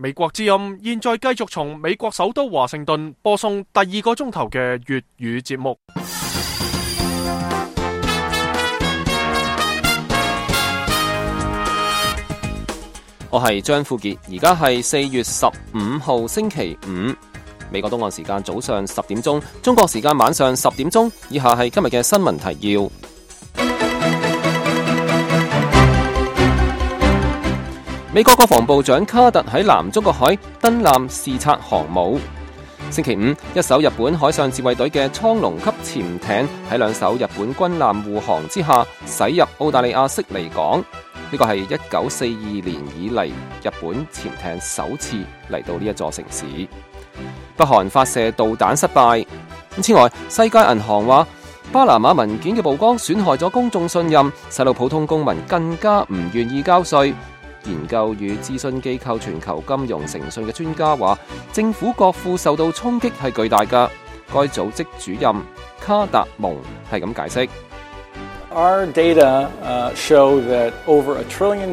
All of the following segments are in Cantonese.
美國之音現在繼續從美國首都華盛頓播送第2個鐘頭嘅粵語節目。我係張富傑，而家係4月15號星期五，美國東岸時間早上10點鐘，中國時間晚上10點鐘。以下係今日嘅新聞提要。美國國防部長卡特喺南中國海登艦視察航母。星期五，一艘日本海上自衛隊嘅蒼龍級潛艇喺2艘日本軍艦護航之下駛入澳大利亞悉尼港。呢個係1942年以嚟日本潛艇首次嚟到呢一座城市。北韓發射導彈失敗。此外，世界銀行話巴拿馬文件嘅曝光損害咗公眾信任，使到普通公民更加唔願意交稅。研究與諮詢機構全球金融誠信嘅專家話，政府國庫受到衝擊係巨大㗎。該組織主任卡達蒙係咁解釋。Our data show that over $1 trillion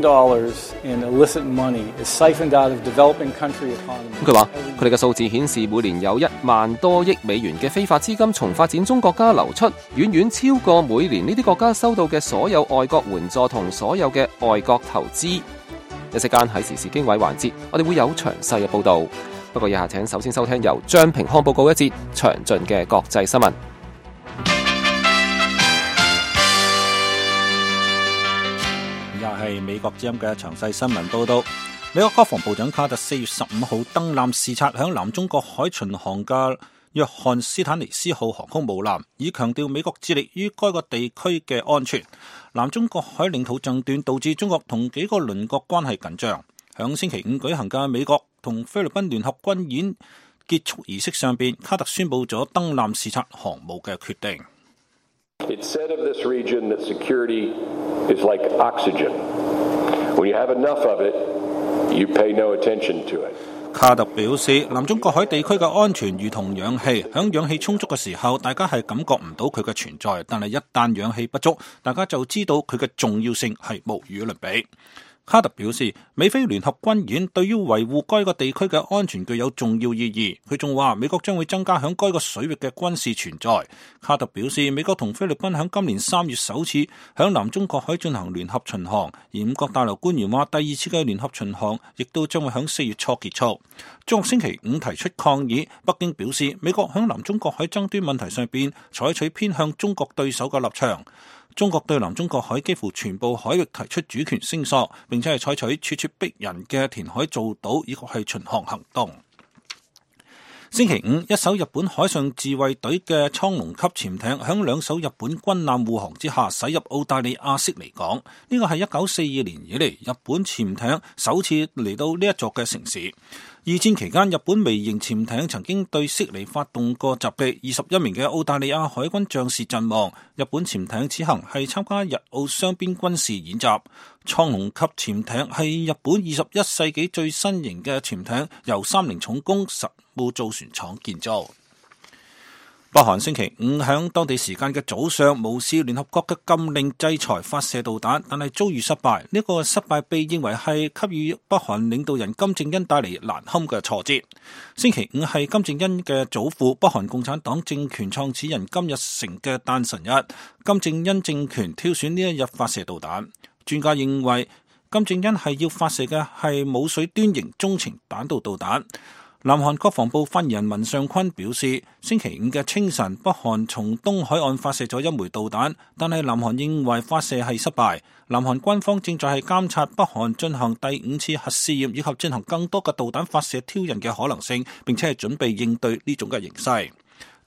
in illicit money is siphoned out of developing country economies. 佢話佢哋嘅數字顯示，每年有1萬多億美元嘅非法資金從發展中國家流出，遠遠超過每年呢啲國家收到嘅所有外國援助同所有嘅外國投資。一息間喺時事經緯環節，我哋會有詳細嘅報導。不過以下請首先收聽由張平康報告一節詳盡嘅國際新聞。係美國之音嘅詳細新聞報道。美國國防部長卡特4月15號登艦視察響南中國海巡航嘅約翰斯坦尼斯號航空母艦，以強調美國致力於該個地區嘅安全。南中國海領土爭端導致中國同幾個鄰國關係緊張。響星期5舉行嘅美國同菲律賓聯合軍演結束儀式上邊，卡特宣布咗登艦視察航母嘅決定。It said of this region that security is like oxygen. When you have enough of it, you pay no attention to it. 卡特表示，南中國海地區嘅安全如同氧氣，響氧氣充足嘅時候，大家係感覺唔到佢嘅存在，但係一旦氧氣不足，大家就知道佢嘅重要性係無與倫比。卡特表示，美菲聯合軍演對於維護該個地區嘅安全具有重要意義。佢仲話，美國將會增加響該個水域嘅軍事存在。卡特表示，美國同菲律賓響今年3月首次響南中國海進行聯合巡航，而5角大樓官員話，第2次嘅聯合巡航亦都將會響4月初結束。中國星期5提出抗議，北京表示，美國響南中國海爭端問題上邊採取偏向中國對手嘅立場。中國對南中國海幾乎全部海域提出主權聲索，並且係採取咄咄逼人嘅填海造島以及係巡航行動。星期5，一艘日本海上自衛隊嘅蒼龍級潛艇響2艘日本軍艦護航之下駛入澳大利亞悉尼港。呢個係1942年以嚟日本潛艇首次嚟到呢一座嘅城市。二戰期間，日本微型潛艇曾經對悉尼發動過襲擊，21名嘅澳大利亞海軍將士陣亡。日本潛艇此行係參加日澳雙邊軍事演習。蒼龍級潛艇係日本21世紀最新型嘅潛艇，由30重工實務造船廠建造。北韓星期5響當地時間嘅早上無視聯合國嘅禁令制裁發射導彈，但係遭遇失敗。呢個失敗被認為係給予北韓領導人金正恩帶嚟難堪嘅挫折。星期5係金正恩嘅祖父北韓共產黨政權創始人金日成嘅誕辰日，金正恩政權挑選呢一日發射導彈。專家認為金正恩係要發射嘅係冇水端型中程彈道導彈。南韓國防部發言人文尚坤表示，星期5嘅清晨，北韓從東海岸發射咗1枚導彈，但係南韓認為發射係失敗。南韓軍方正在係監察北韓進行第5次核試驗，以及進行更多嘅導彈發射挑釁嘅可能性，並且係準備應對呢種嘅形勢。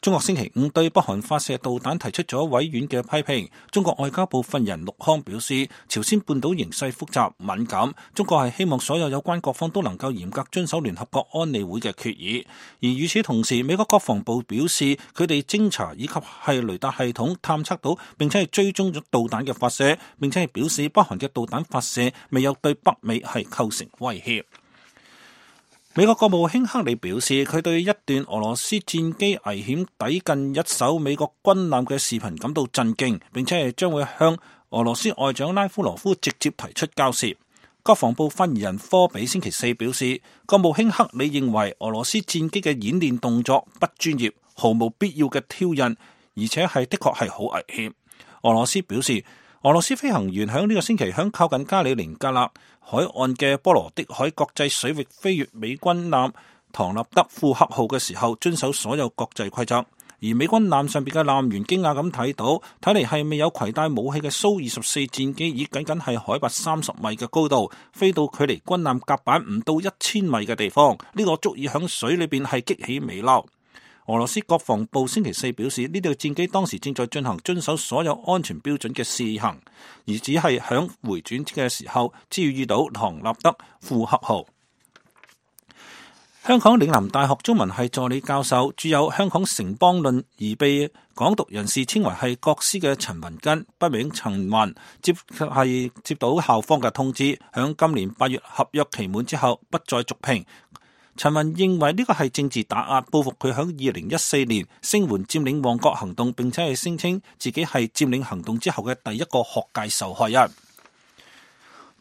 中國星期5對北韓發射導彈提出咗委婉嘅批評。中國外交部發言人陸康表示，朝鮮半島形勢複雜敏感，中國係希望所有有關各方都能夠嚴格遵守聯合國安理會嘅決議。而與此同時，美國國防部表示，佢哋偵查以及係雷達系統探測到並且係追蹤咗導彈嘅發射，並且係表示北韓嘅導彈發射未有對北美係構成威脅。美國國務卿克里表示，佢對一段俄羅斯戰機危險抵近一艘美國軍艦嘅視頻感到震驚，並且係將會向俄羅斯外長拉夫羅夫直接提出交涉。國防部發言人科比星期四表示，國務卿克里認為俄羅斯戰機嘅演練動作不專業，毫無必要嘅挑釁，而且的確係好危險。俄羅斯表示，俄羅斯飛行員喺呢個星期喺靠近加里寧格勒海岸嘅波羅的海國際水域飛越美軍艦唐納德庫克號嘅時候，遵守所有國際規則。而美軍艦上邊嘅艦員驚訝咁睇嚟係未有攜帶武器嘅蘇24戰機，以僅係海拔30米嘅高度飛到距離軍艦甲板唔到1000米嘅地方，呢個足以響水裏邊係激起微撈。俄羅斯國防部星期四表示，呢條戰機當時正在進行遵守所有安全標準嘅試行，而只係響回轉嘅時候遭遇到唐納德庫克號。香港嶺南大學中文系助理教授，著有《香港城邦論》而被港獨人士稱為係國師嘅陳雲根，筆名陳雲，接到校方嘅通知，響今年8月合約期滿之後不再續聘。陳雲認為呢個係政治打壓，報復佢響2014年聲援佔領旺角行動，並且係聲稱自己係佔領行動之後嘅第一個學界受害人。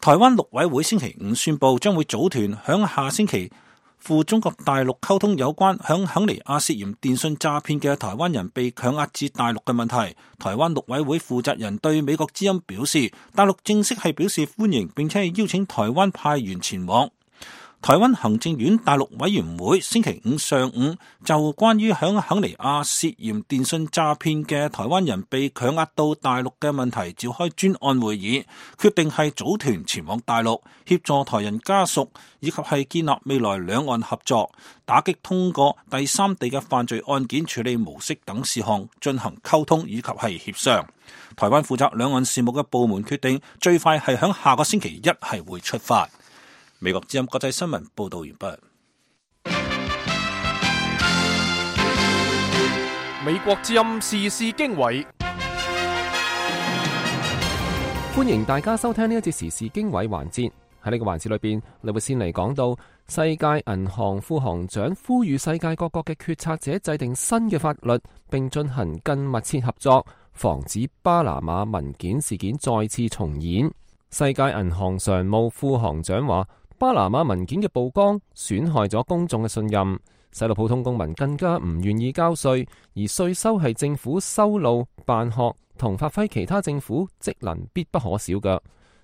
台灣陸委會星期五宣布，將會組團響下星期赴中國大陸溝通有關響肯尼亞涉嫌電信詐騙嘅台灣人被強壓至大陸嘅問題。台灣陸委會負責人對美國之音表示，大陸正式係表示歡迎，並且係邀請台灣派員前往。台灣行政院大陸委員會星期五上午就關於響肯尼亞涉嫌電信詐騙嘅台灣人被強壓到大陸嘅問題召開專案會議，決定係組團前往大陸協助台人家屬，以及係建立未來兩岸合作、打擊通過第三地嘅犯罪案件處理模式等事項進行溝通以及係協商。台灣負責兩岸事務嘅部門決定最快係響下個星期一係會出發。美國之音國際新聞報道完畢。美國之音時事經緯，歡迎大家收聽呢一節時事經緯環節。喺呢個環節裏邊，你會先嚟講到世界銀行副行長呼籲世界各國嘅決策者制定新嘅法律，並進行更密切合作，防止巴拿馬文件事件再次重演。世界銀行常務副行長話，巴拿馬文件嘅曝光損害咗公眾嘅信任，使到普通公民更加唔願意交稅，而稅收係政府修路、辦學同發揮其他政府職能必不可少嘅。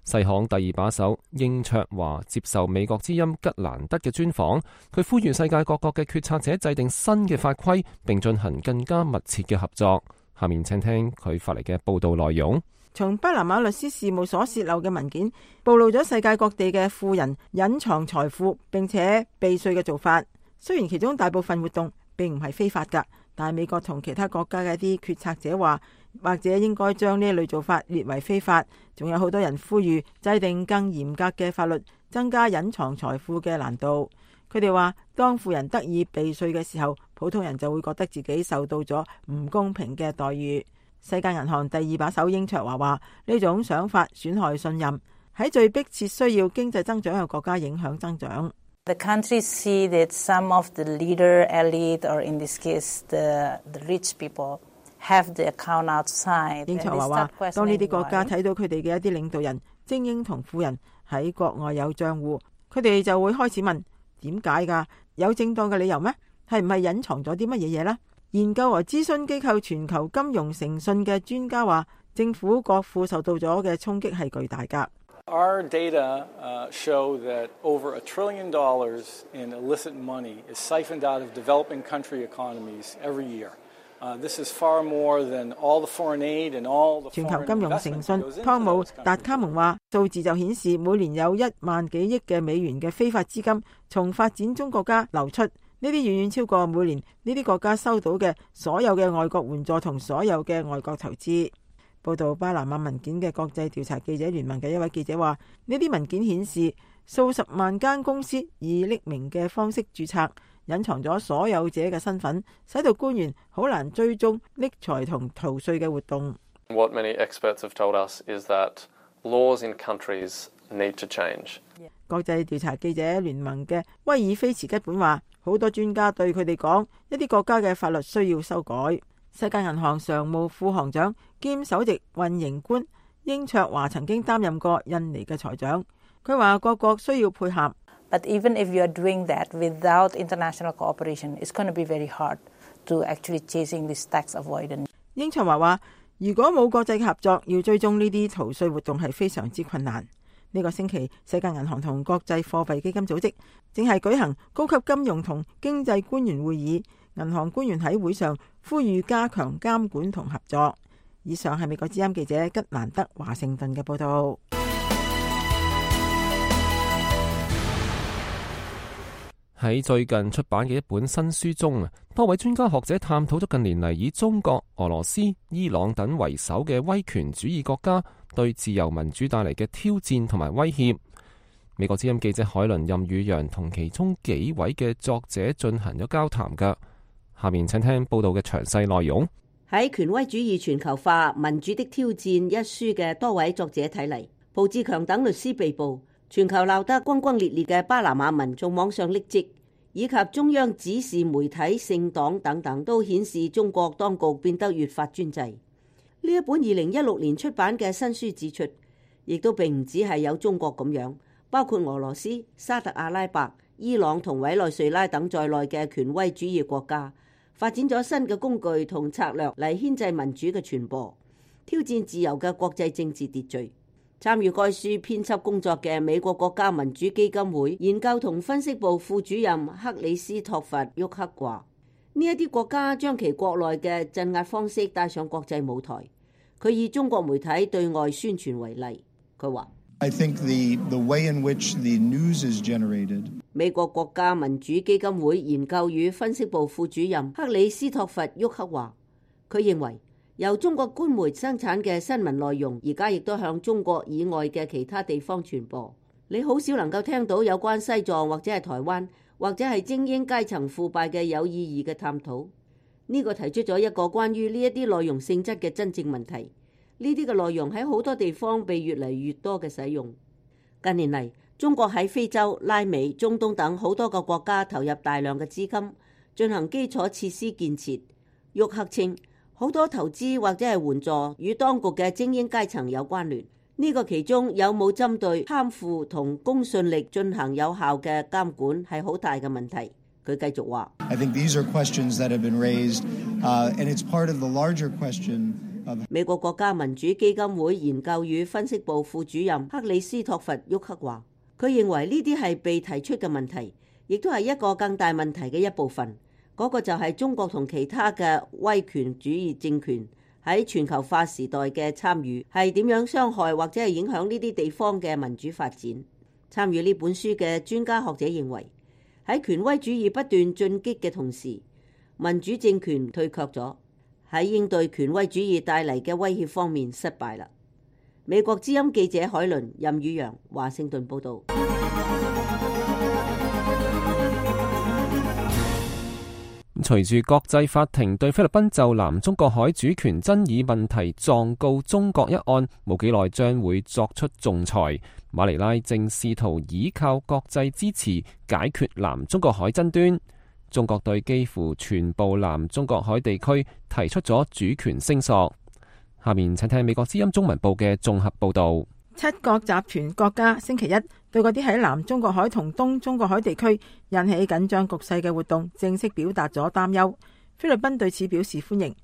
世行第二把手英卓華接受美國之音吉蘭德嘅專訪，佢呼籲世界各國嘅決策者制定新嘅法規，並進行更加密切嘅合作。下面請聽佢發嚟嘅報道內容。從巴拿馬律師事務所洩漏嘅文件，暴露咗世界各地嘅富人隱藏財富並且避稅嘅做法。雖然其中大部分活動並唔係非法㗎，但係美國同其他國家嘅一啲決策者話，或者應該將呢一類做法列為非法。仲有好多人呼籲制定更嚴格嘅法律，增加隱藏財富嘅難度。佢哋話，當富人得以避稅嘅時候，普通人就會覺得自己受到咗唔公平嘅待遇。世界銀行第二把手英卓華話，呢種想法損害信任，喺最迫切需要經濟增長嘅國家影響增長。The countries see that some of the leader elite, or in this case the rich people, have the account outside. 英卓華話，當呢啲國家睇到佢哋嘅一啲領導人、精英同富人喺國外有賬戶，佢哋就會開始問，點解㗎？有正當嘅理由咩？係唔係隱藏咗啲乜嘢嘢呢？研究和諮詢機構全球金融誠信嘅專家話，政府國庫受到咗嘅衝擊係巨大㗎。Our data show that over $1 trillion in illicit money is siphoned out of developing country economies every year. This is far more than all the foreign aid and all the 全球金融誠信湯姆達卡蒙話，數字就顯示每年有1萬幾億嘅美元嘅非法資金從發展中國家流出。呢啲遠遠超過每年呢啲國家收到嘅所有嘅外國援助同所有嘅外國投資。報道巴拿馬文件嘅國際調查記者聯盟嘅一位記者話，呢啲文件顯示數十萬間公司以匿名嘅方式註冊，隱藏咗所有者嘅身份，使到官員好難追蹤匿財同逃稅嘅活動。What many experts have told us is that laws in countries need to change. 國際調查記者聯盟嘅威爾菲茨吉本話，好多專家對佢哋講，一啲國家嘅法律需要修改。世界銀行常務副行長兼首席運營官英卓華曾經擔任過印尼嘅財長，佢話各國需要配合。But even if you are doing that without international cooperation, it's going to be very hard to actually chasing this tax avoidance. 英卓華話，如果冇國際合作，要追蹤呢啲逃稅活動係非常之困難。呢個星期，世界銀行同國際貨幣基金組織正係舉行高級金融同經濟官員會議，銀行官員喺會上呼籲加強監管同合作。以上係美國之音記者吉蘭德華盛頓嘅報道。喺最近出版嘅一本新書中，多位專家學者探討咗近年嚟以中國、俄羅斯、伊朗等為首嘅威權主義國家對自由民主帶嚟嘅挑戰同埋威脅。美國之音記者海倫任宇陽同其中幾位嘅作者進行咗交談㗎。下面請聽報道嘅詳細內容。喺《權威主義全球化：民主的挑戰》一書嘅多位作者睇嚟，蒲志強等律師被捕，全球鬧得轟轟烈烈嘅巴拿馬民眾網上匿跡，以及中央指示媒體、政黨等等，都顯示中國當局變得越發專制。呢一本2016年出版嘅新書指出，亦都並唔止係有中國咁樣，包括俄羅斯、沙特阿拉伯、伊朗同委內瑞拉等在內嘅權威主義國家，發展咗新嘅工具同策略嚟牽制民主嘅傳播，挑戰自由嘅國際政治秩序。參與該書編輯工作嘅美國國家民主基金會研究同分析部副主任克里斯托弗沃克話：呢一啲國家將其國內嘅鎮壓方式帶上國際舞台。佢以中國媒體對外宣傳為例，佢話：I think the way in which the news is generated。美國國家民主基金會研究與分析部副主任克里斯托弗沃克話：佢認為由中國官媒生產嘅新聞內容，而家亦都向中國以外嘅其他地方傳播。你好少能夠聽到有關西藏或者係台灣或者係精英階層腐敗嘅有意義嘅探討。呢個提出咗一個關於呢一啲內容性質嘅真正問題。呢啲嘅內容喺好多地方被越嚟越多嘅使用。近年嚟，中國喺非洲、拉美、中東等好多個國家投入大量嘅資金進行基礎設施建設。沃克稱，好多投資或者係援助與當局嘅精英階層有關聯。呢個其中有冇針對貪腐同公信力進行有效嘅監管係好大嘅問題。佢繼續話：I think these are questions that have been raised, and it's part of the larger question of。美國國家民主基金會研究與分析部副主任克里斯托弗沃克話：佢認為呢啲係被提出嘅問題，亦都係一個更大問題嘅一部分。嗰個就係中國同其他嘅威權主義政權喺全球化時代嘅參與係點樣傷害或者係影響呢啲地方嘅民主發展。參與呢本書嘅專家學者認為，喺權威主義不斷進擊嘅同時，民主政權退卻咗，喺應對權威主義帶嚟嘅威脅方面失敗啦。美國之音記者海倫任宇陽華盛頓報導。隨住國際法庭對菲律賓就南中國海主權爭議問題狀告中國一案，冇幾耐將會作出仲裁。馬尼拉正試圖依靠國際支持解決南中國海爭端。中國對幾乎全部南中國海地區提出咗主權聲索。下面請聽美國之音中文部嘅綜合報導。七國集團國家星期一對嗰啲喺南中國海同東中國海地區引起緊張局勢嘅活動正式表達咗擔憂。菲律賓對此表示歡迎。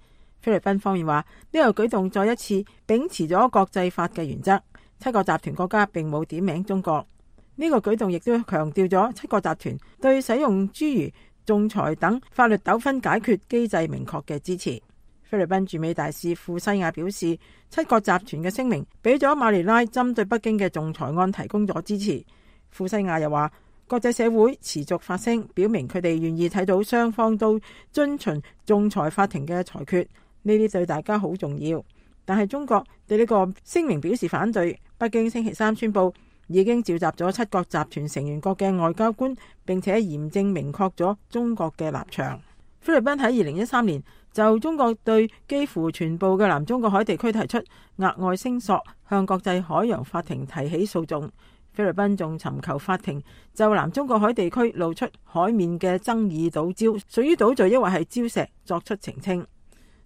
菲律賓方面話，呢個舉動再一次秉持咗國際法嘅原則。七國集團國家並冇點名中國。呢個舉動亦都強調咗七國集團對使用諸如仲裁等法律糾紛解決機制明確嘅支持。菲律賓駐美大使庫西亞表示，七國集團嘅聲明俾咗馬尼拉針對北京嘅仲裁案提供咗支持。庫西亞又話，國際社會持續發聲，表明佢哋願意睇到雙方都遵循仲裁法庭嘅裁決，呢啲對大家好重要。但係中國對呢個聲明表示反對。北京星期三宣布已經召集咗七國集團成員國嘅外交官，並且嚴正明確咗中國嘅立場。菲律賓喺2013年就中國對幾乎全部嘅南中國海地區提出額外聲索，向國際海洋法庭提起訴訟。菲律賓仲尋求法庭就南中國海地區露出海面嘅爭議島礁屬於島嶼抑或係礁石作出澄清。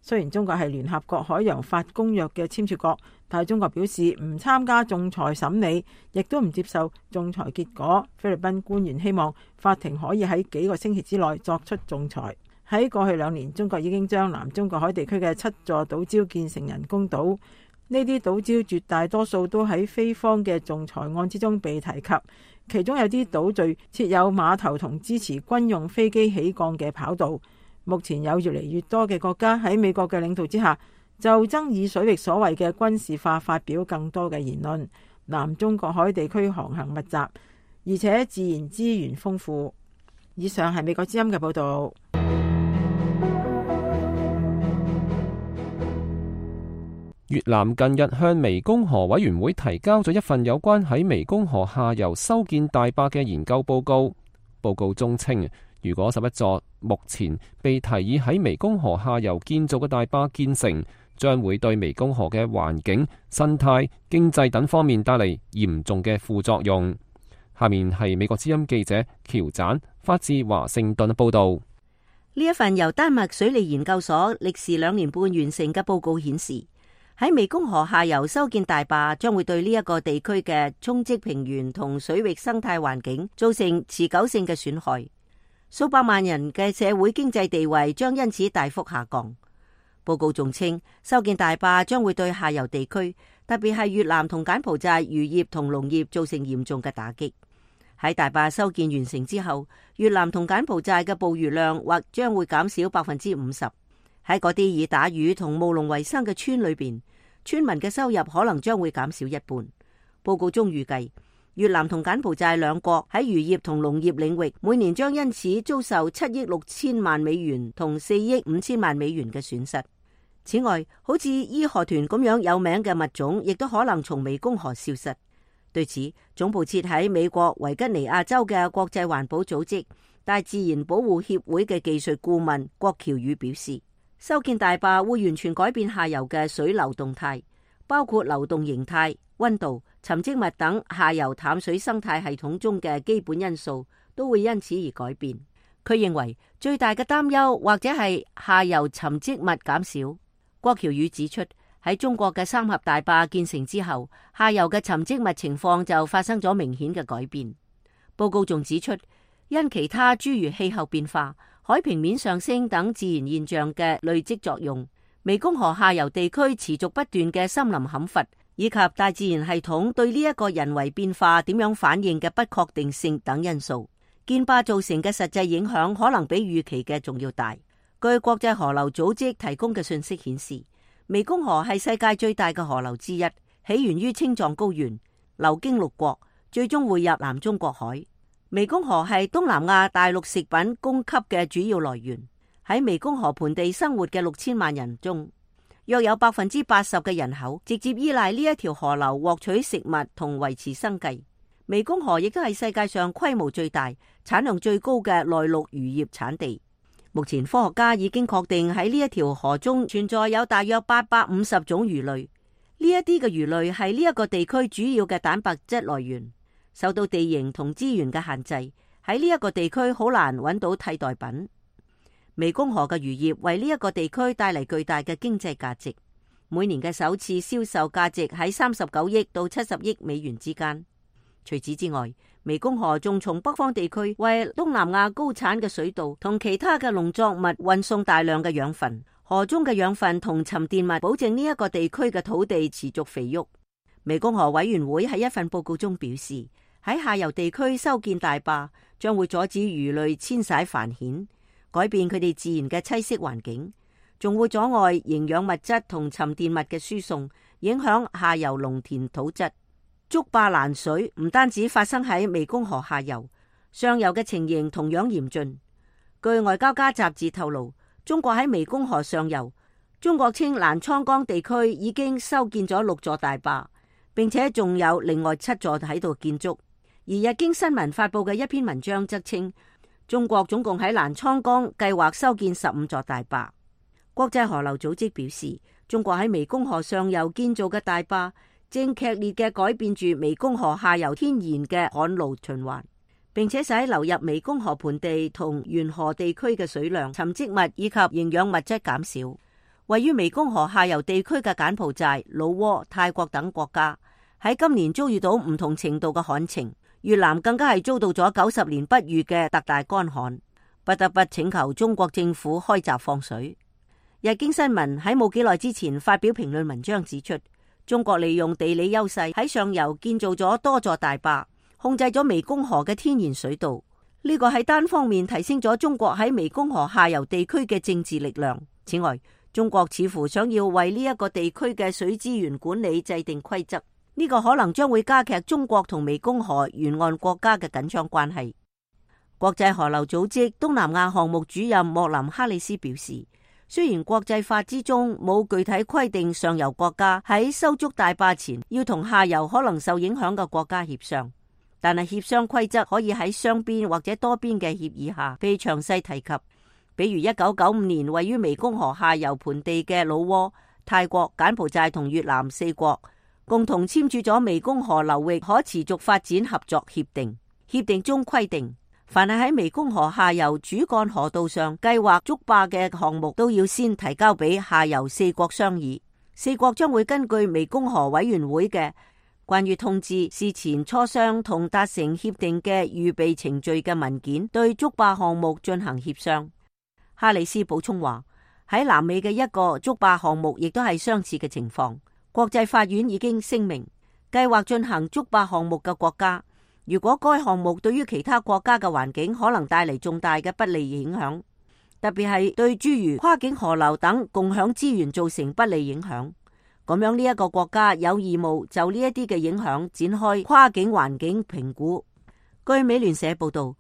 雖然中國係聯合國海洋法公約嘅簽署國，但係中國表示唔參加仲裁審理，亦都唔接受仲裁結果。菲律賓官員希望法庭可以喺幾個星期之內作出仲裁。喺過去2年，中國已經將南中國海地區嘅7座島礁建成人工島。呢啲島礁絕大多數都喺菲方嘅仲裁案之中被提及，其中有啲島嶼設有碼頭同支持軍用飛機起降嘅跑道。目前有越嚟越多嘅國家喺美國嘅領導之下，就爭議水域所謂嘅軍事化發表更多嘅言論。南中國海地區航行密集，而且自然資源豐富。以上係美國之音嘅報導。越南近日向湄公河委員會提交咗一份有關喺湄公河下游修建大壩嘅研究報告。報告中稱，如果11座目前被提議喺湄公河下游建造嘅大壩建成，將會對湄公河嘅環境、生態、經濟等方面帶嚟嚴重嘅副作用。下面係美國之音記者喬展發自華盛頓報道。呢一份由丹麥水利研究所歷時2年半完成嘅報告顯示，喺湄公河下游修建大壩將會對呢一個地區嘅沖積平原同水域生態環境造成持久性嘅損害，數百萬人嘅社會經濟地位將因此大幅下降。報告仲稱，修建大壩將會對下游地區，特別係越南同柬埔寨漁業同農業造成嚴重嘅打擊。喺大壩修建完成之後，越南同柬埔寨嘅捕魚量或將會減少50%。喺嗰啲以打魚同務農為生嘅村裏邊，村民嘅收入可能將會減少一半。報告中預計，越南同柬埔寨兩國喺漁業同農業領域每年將因此遭受7億6千萬美元同4億5千萬美元嘅損失。此外，好似義河豚咁樣有名嘅物種，亦都可能從湄公河消失。對此，總部設喺美國維吉尼亞州嘅國際環保組織大自然保護協會嘅技術顧問郭喬宇表示，修建大壩會完全改變下游嘅水流動態，包括流動形態、溫度、沉積物等下游淡水生態系統中嘅基本因素都會因此而改變。佢認為最大嘅擔憂或者係下游沉積物減少。郭喬宇指出，喺中國嘅三峽大壩建成之後，下游嘅沉積物情況就發生咗明顯嘅改變。報告仲指出，因其他諸如氣候變化、海平面上升等自然現象嘅累積作用，湄公河下游地區持續不斷嘅森林砍伐，以及大自然系統對呢一個人為變化點樣反應嘅不確定性等因素，建壩造成嘅實際影響可能比預期嘅仲要大。據國際河流組織提供嘅信息顯示，湄公河係世界最大嘅河流之一，起源於青藏高原，流經6國，最終匯入南中國海。湄公河係東南亞大陸食品供給嘅主要來源。喺湄公河盆地生活嘅6000萬人中，約有80%嘅人口直接依賴呢一條河流獲取食物同維持生計。湄公河亦都係世界上規模最大、產量最高嘅內陸漁業產地。目前科學家已經確定喺呢一條河中存在有大約850種魚類，呢一啲嘅魚類係呢一個地區主要嘅蛋白質來源。受到地形同資源嘅限制，喺呢一個地區好難揾到替代品。湄公河嘅漁業為呢一個地區帶嚟巨大嘅經濟價值，每年嘅首次銷售價值喺39億到70億美元之間。除此之外，湄公河仲從北方地區為東南亞高產嘅水稻同其他嘅農作物運送大量嘅養分。河中嘅養分同沉澱物保證呢一個地區嘅土地持續肥沃。湄公河委員會喺一份報告中表示，喺下游地區修建大壩將會阻止魚類遷徙繁衍，改變佢哋自然嘅棲息環境，仲會阻礙營養物質同沉澱物嘅輸送，影響下游農田土質。築壩攔水唔單止發生喺湄公河下游，上游嘅情形同樣嚴峻。據外交家雜誌透露，中國喺湄公河上游，中國稱瀾滄江地區已經修建咗6座大壩，並且仲有另外7座喺度建築。而日經新聞發佈嘅一篇文章則稱，中國總共喺瀾滄江計劃修建15座大壩。國際河流組織表示，中國喺湄公河上游建造嘅大壩正劇烈嘅改變住湄公河下游天然嘅旱澇循環，並且使流入湄公河盆地同沿河地區嘅水量、沉積物以及營養物質減少。位於湄公河下游地區嘅柬埔寨、老撾、泰國等國家喺今年遭遇到唔同程度嘅旱情，越南更加係遭到咗90年不遇嘅特大乾旱，不得不請求中國政府開閘放水。日經新聞喺冇幾耐之前發表評論文章指出，中國利用地理優勢喺上游建造咗多座大壩，控制咗湄公河嘅天然水道。呢個係單方面提升咗中國喺湄公河下游地區嘅政治力量。此外，中國似乎想要為呢一個地區嘅水資源管理制定規則，呢個可能將會加劇中國同湄公河沿岸國家嘅緊張關係。國際河流組織東南亞項目主任莫林哈里斯表示，雖然國際法之中冇具體規定上游國家喺修築大壩前要同下游可能受影響嘅國家協商，但係協商規則可以喺雙邊或者多邊嘅協議下被詳細提及。比如1995年位於湄公河下游盆地嘅老撾、泰國、柬埔寨同越南4國共同簽署咗湄公河流域可持續發展合作協定。協定中規定，凡係喺湄公河下游主幹河道上計劃築壩嘅項目，都要先提交俾下游4國商議。4國將會根據湄公河委員會嘅關於通知事前磋商同達成協定嘅預備程序嘅文件，對築壩項目進行協商。哈里斯補充話，喺南美嘅一個築壩項目亦都係相似嘅情況。國際法院已經聲明，計劃進行築壩項目嘅國家，如果該項目對於其他國家嘅環境可能帶嚟重大嘅不利影響，特別係對諸如跨境河流等共享資源造成不利影響，咁樣呢一個國家有義務就呢一啲嘅影響展開跨境環境評估。據美聯社報道，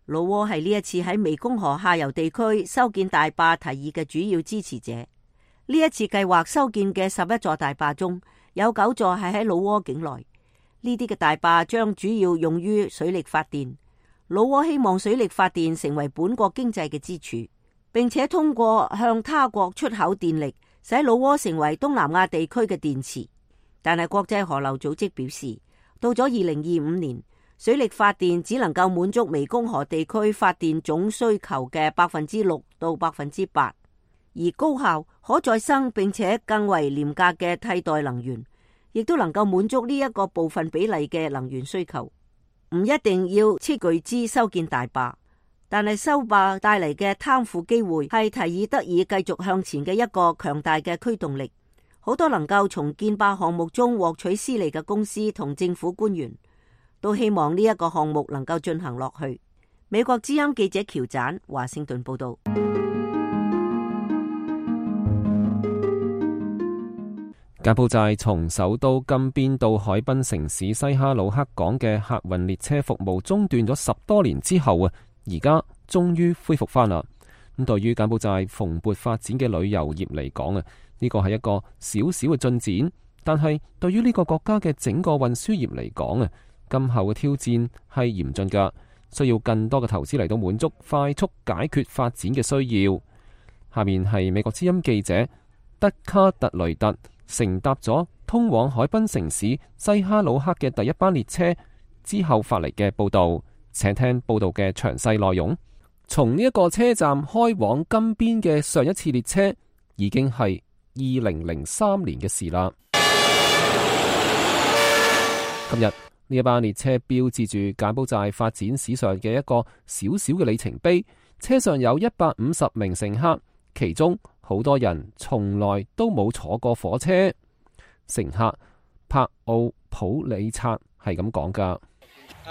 老撾係呢一次喺湄公河下游地區修建大壩提議嘅主要支持者。呢一次計劃修建嘅11座大壩中，有9座係喺老撾境內。呢啲嘅大壩將主要用於水力發電。老撾希望水力發電成為本國經濟嘅支柱，並且通過向他國出口電力，使老撾成為東南亞地區嘅電池。但係國際河流組織表示，到咗2025年，水力發電只能夠滿足湄公河地區發電總需求嘅6%到8%，而高效、可再生並且更為廉價嘅替代能源，亦都能夠滿足呢一個部分比例嘅能源需求。唔一定要斥巨資修建大壩，但係修壩帶嚟嘅貪腐機會係提議得以繼續向前嘅一個強大嘅驅動力。好多能夠從建壩項目中獲取私利嘅公司同政府官員都希望呢一個項目能夠進行落去。美國之音記者喬展華盛頓報道。柬埔寨從首都金邊到海濱城市西哈努克港嘅客運列車服務中斷咗10多年之後而家終於恢復翻啦。咁對於柬埔寨蓬勃發展嘅旅遊業嚟講呢個係一個小小嘅進展，但係對於呢個國家嘅整個運輸業嚟講今後嘅挑戰係嚴峻㗎，需要更多嘅投資嚟到滿足快速解決發展嘅需要。下面係美國之音記者德卡特雷特乘搭咗通往海濱城市西哈努克嘅第一班列車之後發嚟嘅報道，請聽報道嘅詳細內容。從呢一個車站開往金邊嘅上一次列車已經係2003年嘅事啦。今日呢一班列車標誌住柬埔寨發展史上嘅一個小小嘅里程碑，車上有150名乘客，其中好多人從來都冇坐過火車。乘客柏奧普里察係咁講噶。佢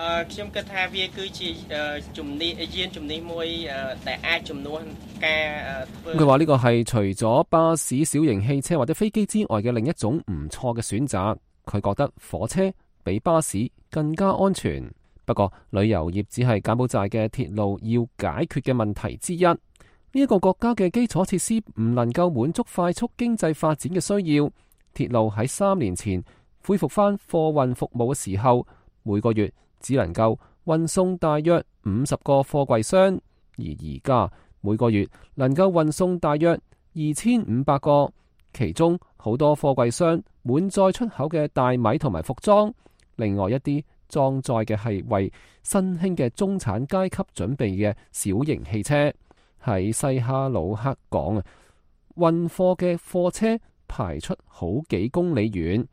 話呢個係除咗巴士、小型汽車或者飛機之外嘅另一種唔錯嘅選擇。佢覺得火車比巴士更加安全。不過旅遊業只係柬埔寨嘅鐵路要解決嘅問題之一。呢一個國家嘅基礎設施唔能夠滿足快速經濟發展嘅需要。鐵路喺3年前恢復翻貨運服務嘅時候，每個月只能夠運送大約50個貨櫃箱，而而家每個月能夠運送大約2500個，其中好多貨櫃箱滿載出口嘅大米同埋服裝，另外一啲裝載嘅係為新興嘅中產階級準備嘅小型汽車。喺西哈努克港運貨嘅貨車排出好幾公里遠，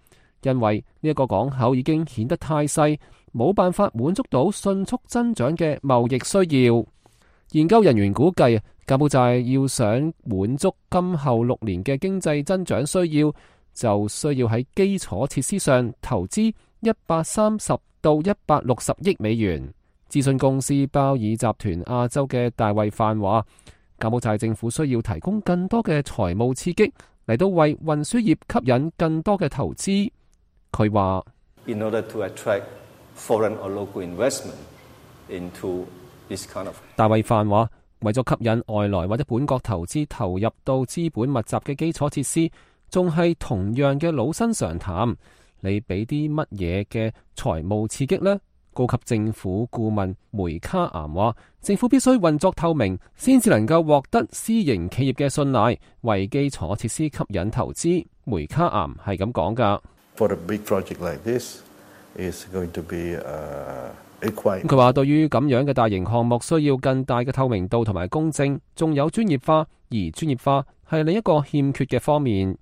因為呢一個港口已經顯得太細，冇辦法滿足到迅速增長嘅貿易需要。研究人員估計，柬埔寨要想滿足今後6年嘅經濟增長需要，就需要喺基礎設施上投資130到160億美元。諮詢公司鮑爾集團亞洲嘅大衛範話，柬埔寨政府需要提供更多嘅財務刺激，嚟到為運輸業吸引更多嘅投資。佢話In order to attract foreign or local investment into this kind of 大衛範話，為咗吸引外來或者本國投資投入到資本密集嘅基礎設施，仲係同樣嘅老生常談。你俾啲乜嘢嘅財務刺激呢？高級政府顧問梅卡岩話，政府必須運作透明，先至能夠獲得私營企業嘅信賴，為基礎設施吸引投資。梅卡岩係咁講㗎。佢話對於咁樣嘅大型項目，需要更大嘅透明度同埋公正，仲有專業化，而專業化係另一個欠缺嘅方面。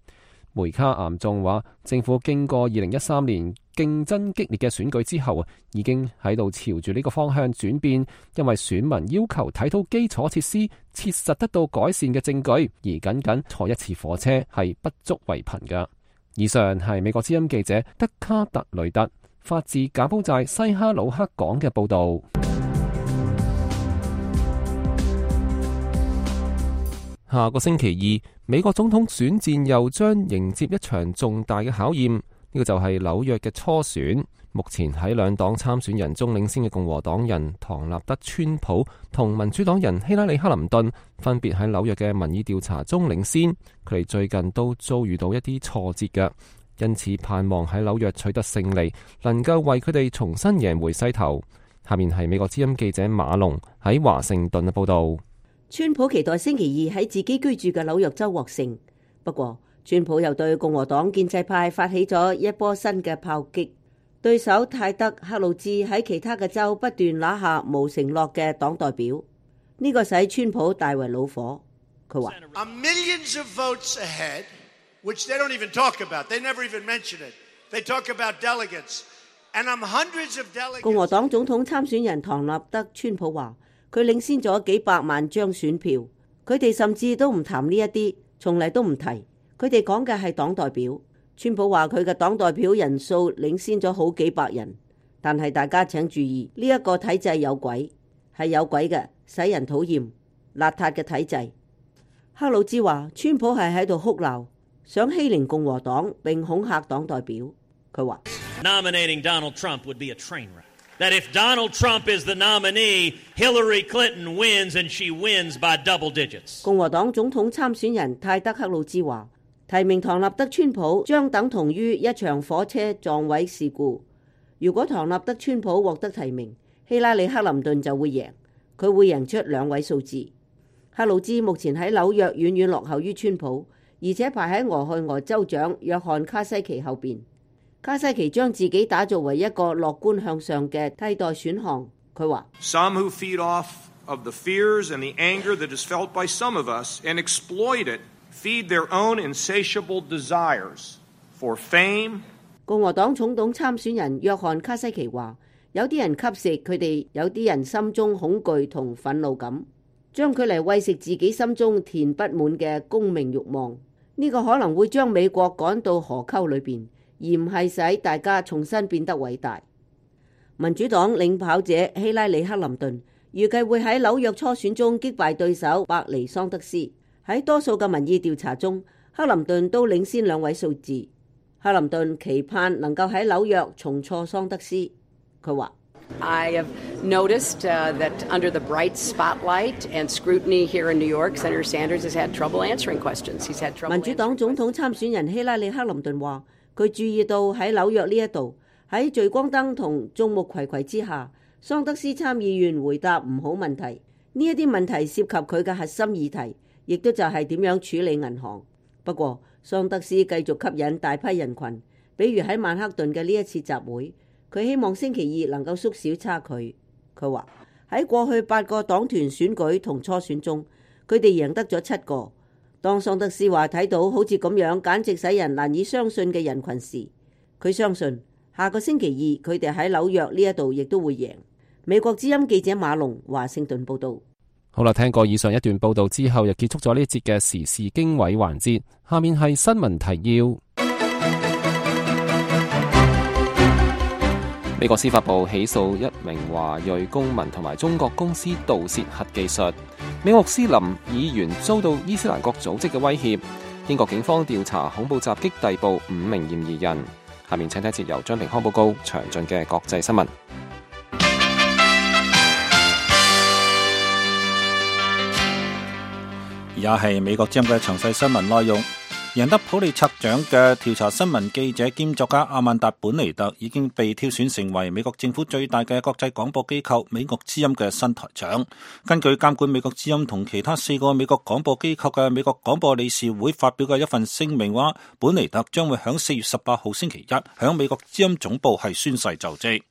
梅卡岩仲話，政府經過2013年競爭激烈嘅選舉之後，已經喺度朝住呢個方向轉變，因為選民要求睇到基礎設施切實得到改善嘅證據，而僅僅坐一次火車係不足為憑㗎。以上係美國之音記者德卡特雷特發自柬埔寨西哈努克港嘅報導。下個星期二，美國總統選戰又將迎接一場重大嘅考驗，呢個就係紐約嘅初選。目前喺兩黨參選人中領先嘅共和黨人唐納德·川普同民主黨人希拉里·克林頓分別喺紐約嘅民意調查中領先，佢哋最近都遭遇到一啲挫折嘅，因此盼望喺紐約取得勝利，能夠為佢哋重新贏回勢頭。下面係美國之音記者馬龍喺華盛頓嘅報導。川普期待星期二喺自己居住嘅紐約州獲勝，不過川普又對共和黨建制派發起咗一波新嘅炮擊。對手泰德·克魯茲喺其他嘅州不斷拿下無承諾嘅黨代表，呢個使川普大為惱火。佢話共和黨總統參選人唐納德·川普話佢領先咗幾百萬張選票，佢哋甚至都唔談呢一啲，從嚟都唔提。佢哋講嘅係黨代表。川普話佢嘅黨代表人數領先咗好幾百人，但係大家請注意，呢一個體制有鬼，係有鬼嘅，使人討厭、邋遢嘅體制。克魯茲話川普係喺度哭鬧，想欺凌共和黨並恐嚇黨代表。佢話Nominating Donald Trump would be a train wreck. That if Donald Trump is the nominee, Hillary Clinton wins and she wins by double digits. 共和黨總統參選人泰德·克魯茲話提名唐納德·川普將等同於一場火車撞毀事故。如果唐納德·川普獲得提名，希拉里·克林頓就會贏，佢會贏出2位數字。克魯茲目前喺紐約遠遠落後於川普，而且排喺俄亥俄州長約翰·卡西奇後邊。卡西奇將自己打造為一個樂觀向上嘅替代選項。佢話：Some who feed off of the fears and the anger that is felt by some of us and exploit it.Feed their own insatiable desires for fame. 共和黨總統參選人約翰卡西奇話：有啲人吸食佢哋，有啲人心中恐懼同憤怒感，將佢嚟餵食自己心中填不滿嘅功名慾望。呢個可能會將美國趕到河溝裏邊，而唔係使大家重新變得偉大。民主黨領跑者希拉里·克林頓預計會喺紐約初選中擊敗對手伯尼·桑德斯。喺多數嘅民意調查中，克林頓都領先2位數字。克林頓期盼能夠喺紐約重挫桑德斯。佢話：I have noticed that under the bright spotlight and scrutiny here in New York, Senator Sanders has had trouble answering questions. He's had trouble. 民主黨總統參選人希拉里·克林頓話：佢注意到喺紐約呢一度，喺聚光燈同眾目睽睽之下，桑德斯參議員回答唔好問題。呢一啲問題涉及佢嘅核心議題。亦都就係點樣處理銀行。不過，桑德斯繼續吸引大批人群，比如喺曼克頓嘅呢一次集會，佢希望星期二能夠縮小差距。佢話喺過去8個黨團選舉同初選中，佢哋贏得咗7個。當桑德斯話睇到好似咁樣簡直使人難以相信嘅人群時，佢相信下個星期二佢哋喺紐約呢一度亦都會贏。美國之音記者馬龍華盛頓報道。好啦，聽過以上一段報道之後，又結束咗呢一節嘅時事經緯環節。下面係新聞提要。美國司法部起訴一名華裔公民同埋中國公司盜竊核技術。美國穆斯林議員遭到伊斯蘭國組織嘅威脅。英國警方調查恐怖襲擊逮捕5名嫌疑人。下面請睇一節由張平康報告詳盡嘅國際新聞。而家係美國之音嘅詳細新聞內容。贏得普利策獎嘅調查新聞記者兼作家阿曼達本尼特已經被挑選成為美國政府最大嘅國際廣播機構美國之音嘅新台長。根據監管美國之音同其他4個美國廣播機構嘅美國廣播理事會發表嘅一份聲明話，本尼特將會喺4月18號星期一喺美國之音總部係宣誓就職。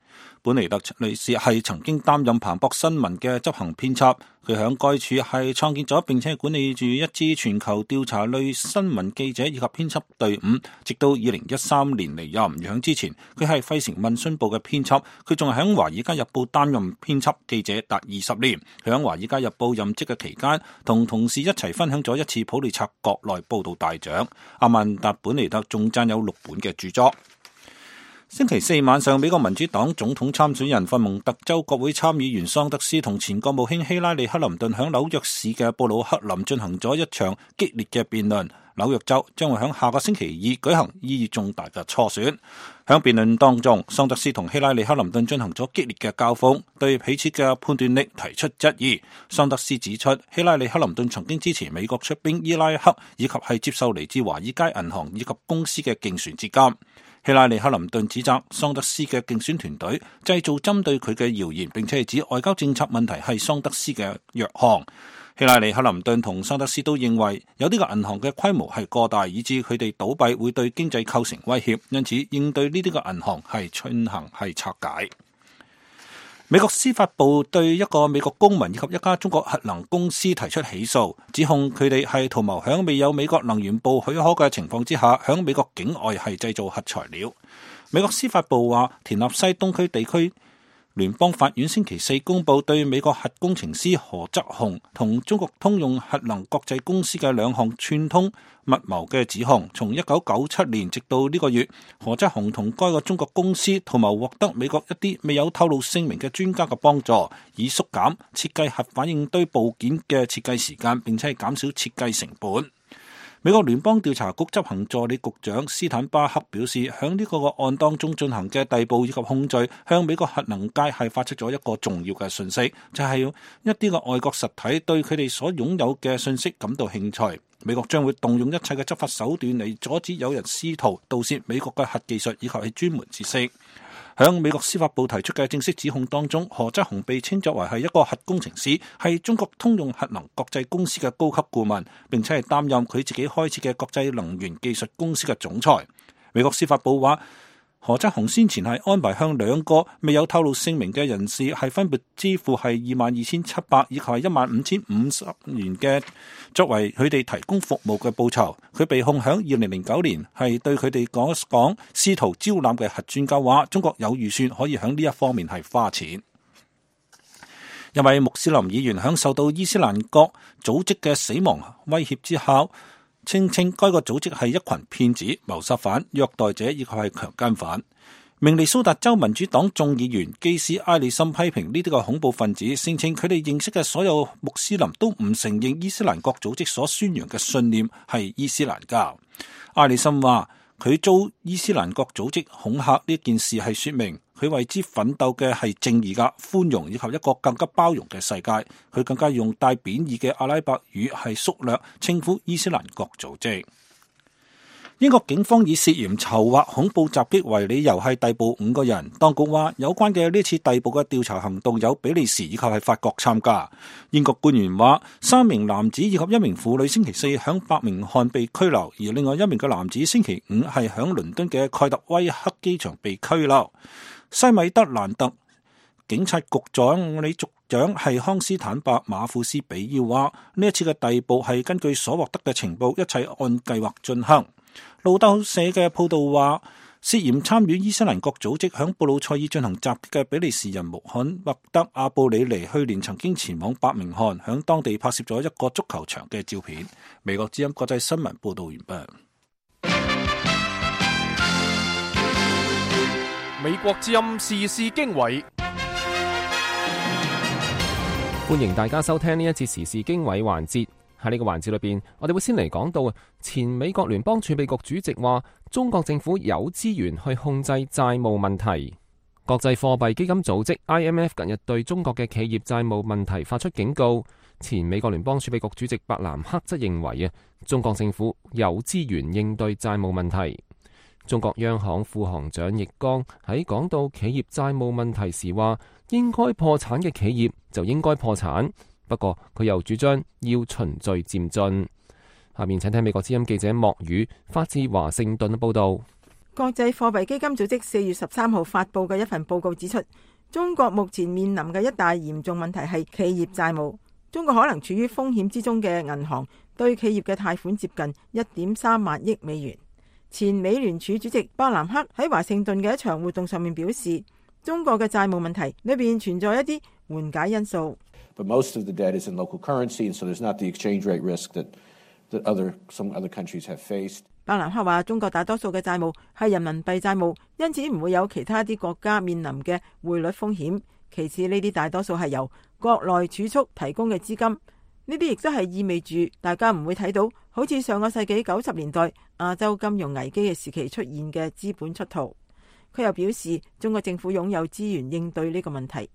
本尼特女士係曾經擔任彭博新聞嘅執行編輯，佢喺該處係創建咗並且管理住一支全球調查類新聞記者以及編輯隊伍，直到2013年離任。喺之前，佢係費城問訊部嘅編輯，佢仲係喺華爾街日報擔任編輯記者達20年。佢喺華爾街日報任職嘅期間，同同事一齊分享咗一次普利策國內報道大獎。阿曼達本尼特仲撰有6本嘅著作。星期4晚上，美國民主黨總統參選人佛蒙特州國會參議員桑德斯同前國務卿希拉里克林頓喺紐約市嘅布魯克林進行咗一場激烈嘅辯論。紐約州將會喺下個星期2舉行意義重大嘅初選。喺辯論當中，桑德斯同希拉里克林頓進行咗激烈嘅交鋒，對彼此嘅判斷力提出質疑。桑德斯指出，希拉里克林頓曾經支持美國出兵伊拉克，以及係接受嚟自華爾街銀行以及公司嘅競選資金。希拉里克林頓指責桑德斯嘅競選團隊製造針對佢嘅謠言，並且係指外交政策問題係桑德斯嘅弱項。希拉里克林頓同桑德斯都認為有啲個銀行嘅規模係過大，以致佢哋倒閉會對經濟構成威脅，因此應對呢啲個銀行係進行係拆解。美國司法部對一個美國公民以及一家中國核能公司提出起訴，指控佢哋係圖謀響未有美國能源部許可嘅情況之下，響美國境外係製造核材料。美國司法部話，田納西東區地區聯邦法院星期4公佈對美國核工程師何則雄同中國通用核能國際公司嘅2項串通密謀嘅指控。從1997年直到呢個月，何則雄同該個中國公司圖謀獲得美國一啲未有透露姓名嘅專家嘅幫助，以縮減設計核反應堆部件嘅設計時間，並且係減少設計成本。美國聯邦調查局執行助理局長斯坦巴克表示，響呢個案當中進行嘅逮捕以及控罪，向美國核能界係發出咗一個重要嘅訊息，就係一啲個外國實體對佢哋所擁有嘅信息感到興趣。美國將會動用一切嘅執法手段嚟阻止有人試圖盜竊美國嘅核技術以及係專門知識。響美國司法部提出嘅正式指控當中，何則雄被稱作為係一個核工程師，係中國通用核能國際公司嘅高級顧問，並且係擔任佢自己開設嘅國際能源技術公司嘅總裁。美國司法部話，何則雄先前係安排向2個未有透露姓名嘅人士係分別支付係22,700以及係15,050元嘅作為佢哋提供服務嘅報酬。佢被控響2009年係對佢哋講試圖招攬嘅核專家話，中國有預算可以響呢一方面係花錢。一位穆斯林議員響受到伊斯蘭國組織嘅死亡威脅之後，稱該個組織係一群騙子、謀殺犯、虐待者以及係強姦犯。明尼蘇達州民主黨眾議員基斯埃里森批評呢啲個恐怖分子，聲稱佢哋認識嘅所有穆斯林都唔承認伊斯蘭國組織所宣揚嘅信念係伊斯蘭教。埃里森話，佢遭伊斯蘭國組織恐嚇呢件事係說明佢為之奮鬥嘅係正義嘅寬容以及一個更加包容嘅世界。佢更加用帶貶義嘅阿拉伯語係縮略稱呼伊斯蘭國組織。英國警方以涉嫌籌劃恐怖襲擊為理由係逮捕5個人。當局話，有關嘅呢次逮捕嘅調查行動有比利時以及係法國參加。英國官員話，3名男子以及1名婦女星期4響伯明翰被拘留，而另外1名嘅男子星期5係響倫敦嘅蓋特威克機場被拘留。西米德蘭特警察局長李續長係康斯坦伯馬庫斯比要話，呢一次嘅逮捕係根據所獲得嘅情報，一切按計劃進行。路透社嘅報道話，涉嫌參與伊斯蘭國組織響布魯塞爾進行襲擊嘅比利時人穆罕默德阿布里尼去年曾經前往伯明翰，響當地拍攝咗一個足球場嘅照片。美國之音國際新聞報道完畢。美國之音時事經緯，歡迎大家收聽呢一節時事經緯環節。喺呢個環節裏邊，我哋會先嚟講到前美國聯邦儲備局主席話，中國政府有資源去控制債務問題。國際貨幣基金組織 IMF 近日對中國嘅企業債務問題發出警告。前美國聯邦儲備局主席伯南克則認為中國政府有資源應對債務問題。中國央行副行長易綱喺講到企業債務問題時話，應該破產嘅企業就應該破產。不過佢又主張要循序漸進。下面請聽美國之音記者莫宇發自華盛頓嘅報道。國際貨幣基金組織4月13號發佈嘅一份報告指出，中國目前面臨嘅一大嚴重問題係企業債務。中國可能處於風險之中嘅銀行對企業嘅貸款接近1.3萬億美元。前美聯儲主席伯南克喺華盛頓嘅一場活動上面表示，中國嘅債務問題裏邊存在一啲緩解因素。But most of the debt is in local currency, and so there's not the exchange rate risk that some other countries have faced. 伯南克話，中國大多數嘅債務係人民幣債務，因此唔會有其他啲國家面臨嘅匯率風險。其次，呢啲大多數係由國內儲蓄提供嘅資金，呢啲亦都係意味住大家唔會睇到好似上個世紀90年代亞洲金融危機嘅時期出現嘅資本出逃。佢又表示，中國政府擁有資源應對呢個問題。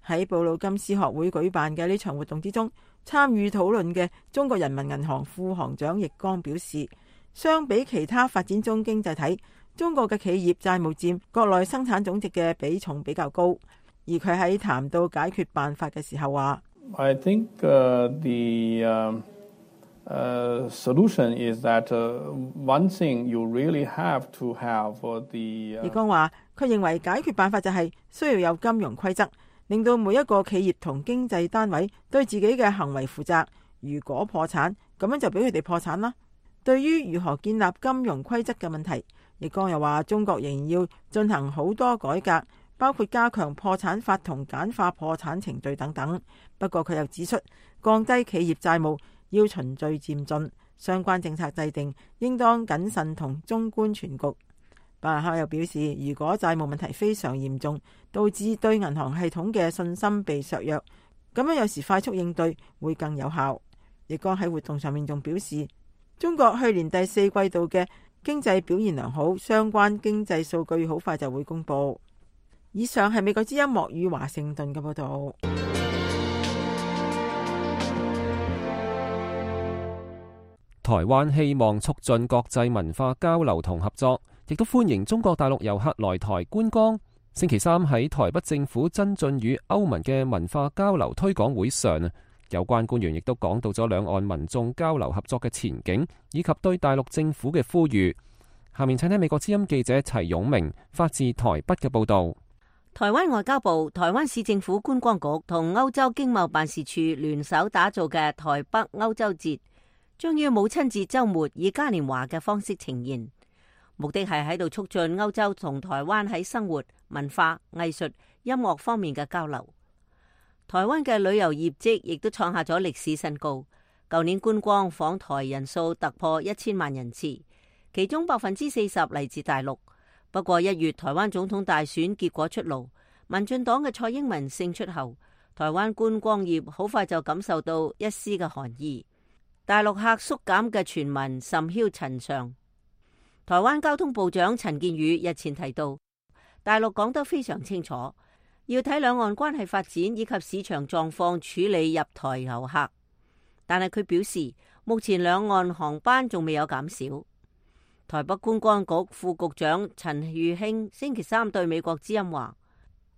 喺布魯金斯學會舉辦嘅呢場活動之中，參與討論嘅中國人民銀行副行長易綱表示，相比其他發展中經濟體，中國嘅企業債務佔國內生產總值嘅比重比較高。而佢喺談到解決辦法嘅時候話，I think the solution is that one thing you really have to have the。易綱話，佢認為解決辦法就係需要有金融規則，令到每一個企業同經濟單位對自己嘅行為負責。如果破產，咁樣就俾佢哋破產啦。對於如何建立金融規則嘅問題，易綱又話，中國仍然要進行好多改革，包括加強破產法同簡化破產程序等等。不過佢又指出，降低企業債務要循序漸進，相關政策制定應當謹慎同綜觀全局。伯南克又表示，如果債務問題非常嚴重，導致對銀行系統嘅信心被削弱，咁樣有時快速應對會更有效。易綱喺活動上面仲表示，中國去年第4季度嘅經濟表現良好，相關經濟數據好快就會公布。以上係美國之音莫語華盛頓嘅報道。台灣希望促進國際文化交流同合作，亦都歡迎中國大陸遊客來台觀光。星期三喺台北政府增進與歐盟嘅文化交流推廣會上，有關官員亦都講到咗兩岸民眾交流合作嘅前景，以及對大陸政府嘅呼籲。下面請聽美國之音記者齊勇明發自台北嘅報道。台灣外交部、台灣市政府觀光局同歐洲經貿辦事處聯手打造嘅台北歐洲節，將於母親節週末以嘉年華嘅方式呈現，目的係喺度促進歐洲同台灣喺生活、文化、藝術、音樂方面嘅交流。台灣嘅旅遊業績亦都創下咗歷史新高，舊年觀光訪台人數突破1000萬人次，其中40%嚟自大陸。不過1月台灣總統大選結果出爐，民進黨嘅蔡英文勝出後，台灣觀光業好快就感受到一絲嘅寒意。大陸客縮減嘅傳聞甚囂塵上。台灣交通部長陳建宇日前提到，大陸講得非常清楚，要睇兩岸關係發展以及市場狀況處理入台遊客。但係佢表示，目前兩岸航班仲未有減少。台北觀光局副局長陳玉興星期三對美國之音話，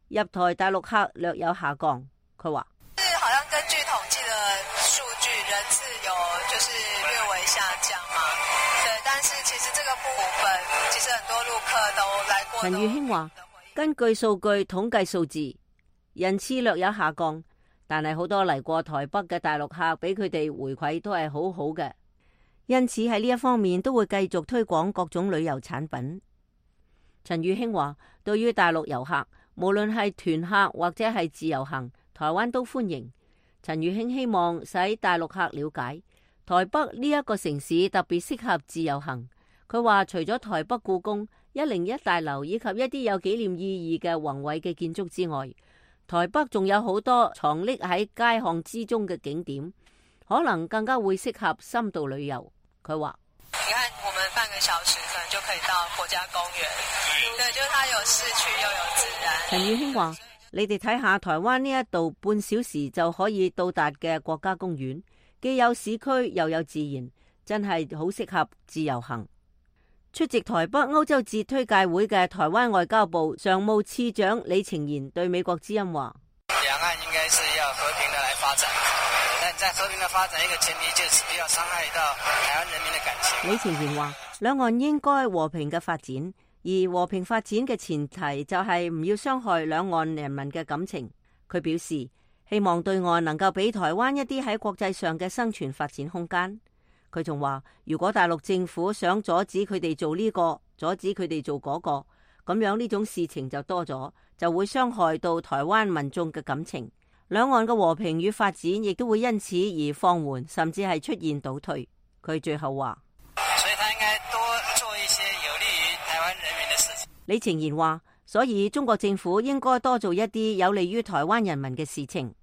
入台大陸客略有下降。佢話，好像根據統計的數據，人次有就是略微下降嘛。對，但是其實這個部分，其實很多陸客都來過。陳玉興話，根據數據統計數字，人次略有下降，但係好多嚟過台北嘅大陸客俾佢哋回饋都係好好嘅，因此喺呢一方面都會繼續推廣各種旅遊產品。陳宇興話，對於大陸遊客，無論係團客或者係自由行，台灣都歡迎。陳宇興希望使大陸客了解台北呢一個城市特別適合自由行。佢話除咗台北故宮、101大樓以及一啲有紀念意義嘅宏偉嘅建築之外，台北仲有好多藏匿喺街巷之中嘅景點，可能更加會適合深度旅遊。佢話：你看，我們半個小時可能就可以到國家公園，對，就是它有市區又有自然。陳宇興話：你哋睇下台灣呢一度半小時就可以到達嘅國家公園，既有市區又有自然，真係好適合自由行。出席台北歐洲節推介會嘅台灣外交部常務次長李晴賢對美國之音話：兩岸應該是要和平的來發展，但在和平的發展一個前提就是不要傷害到台灣人民的感情。李晴賢話：兩岸應該和平嘅發展，而和平發展嘅前提就係唔要傷害兩岸人民嘅感情。佢表示希望對岸能夠俾台灣一啲喺國際上嘅生存發展空間。佢仲話，如果大陸政府想阻止佢哋做呢個，阻止佢哋做嗰個，咁樣呢種事情就多咗，就會傷害到台灣民眾嘅感情。兩岸嘅和平與發展亦都會因此而放緩，甚至係出現倒退。佢最後話：所以他應該多做一些有利於台灣人民嘅事情。李晴賢話：所以中國政府應該多做一啲有利於台灣人民嘅事情。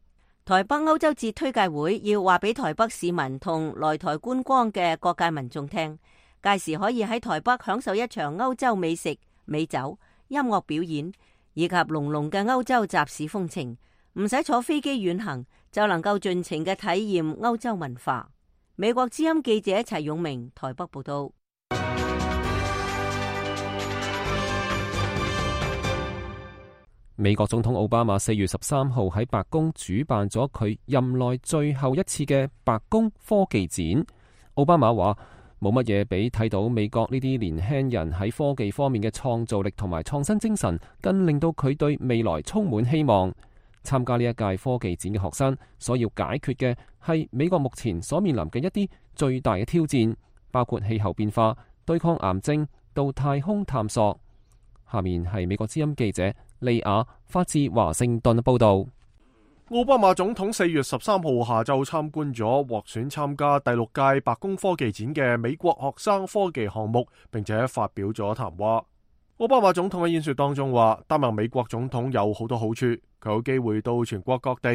台北歐洲節推介會要話俾台北市民同來台觀光嘅各界民眾聽，屆時可以喺台北享受一場歐洲美食、美酒、音樂表演以及濃濃嘅歐洲集市風情，唔使坐飛機遠行就能夠盡情嘅體驗歐洲文化。美國之音記者齊永明台北報道。美國總統奧巴馬4月13號喺白宮主辦咗佢任內最後一次嘅白宮科技展。奧巴馬話：冇乜嘢比睇到美國呢啲年輕人喺科技方面嘅創造力同埋創新精神，更令到佢對未來充滿希望。參加呢一屆科技展嘅學生所要解決嘅係美國目前所面臨嘅一啲最大嘅挑戰，包括氣候變化、對抗癌症到太空探索。下面係美國之音記者利亞發自華盛頓報道。奧巴馬總統4月13號下晝參觀咗獲選參加第6屆白宮科技展嘅美國學生科技項目，並且發表咗談話。奧巴馬總統喺演說當中話，擔任美國總統有好多好處，佢有機會到全國各地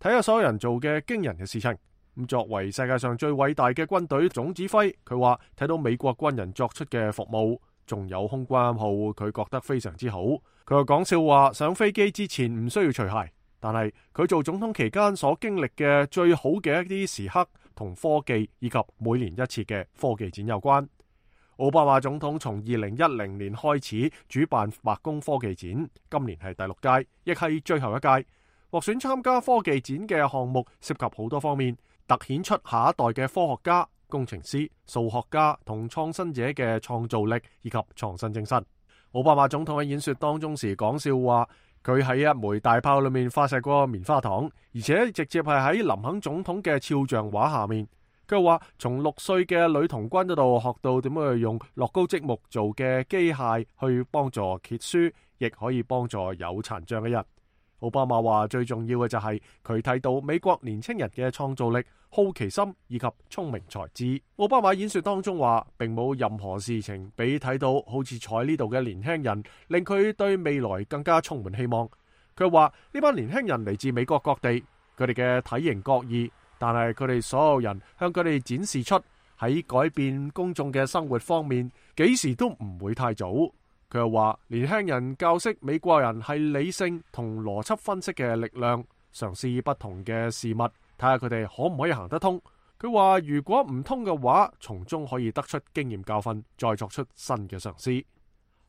睇下所有人做嘅驚人嘅事情。咁作為世界上最偉大嘅軍隊總指揮，佢話睇到美國軍人作出嘅服務，仲有空軍號，佢覺得非常之好。佢又講笑話，上飛機之前唔需要除鞋，但係佢做總統期間所經歷嘅最好嘅一啲時刻，同科技以及每年一次嘅科技展有關。奧巴馬總統從2010年開始主辦白宮科技展，今年係第6屆，亦係最後一屆。獲選參加科技展嘅項目涉及好多方面，凸顯出下一代嘅科學家、工程師、數學家同創新者嘅創造力以及創新精神。奧巴馬總統喺演說當中時講笑話，佢喺一枚大炮裏面發射過棉花糖，而且直接係喺林肯總統嘅肖像畫下面。佢話從6歲嘅女童軍嗰度學到點樣去用樂高積木做嘅機械去幫助揭書，亦可以幫助有殘障嘅人。奧巴馬話最重要嘅就係佢睇到美國年輕人嘅創造力、好奇心以及聰明才智。奧巴馬演說當中話，並冇任何事情比睇到好似坐呢度嘅年輕人，令佢對未來更加充滿希望。佢話呢班年輕人嚟自美國各地，佢哋嘅體型各異，但係佢哋所有人向佢哋展示出喺改變公眾嘅生活方面，幾時都唔會太早。佢又話年輕人教識美國人係理性同邏輯分析嘅力量，嘗試不同嘅事物，睇下佢哋可唔可以行得通。佢話如果唔通嘅話，從中可以得出經驗教訓，再作出新嘅嘗試。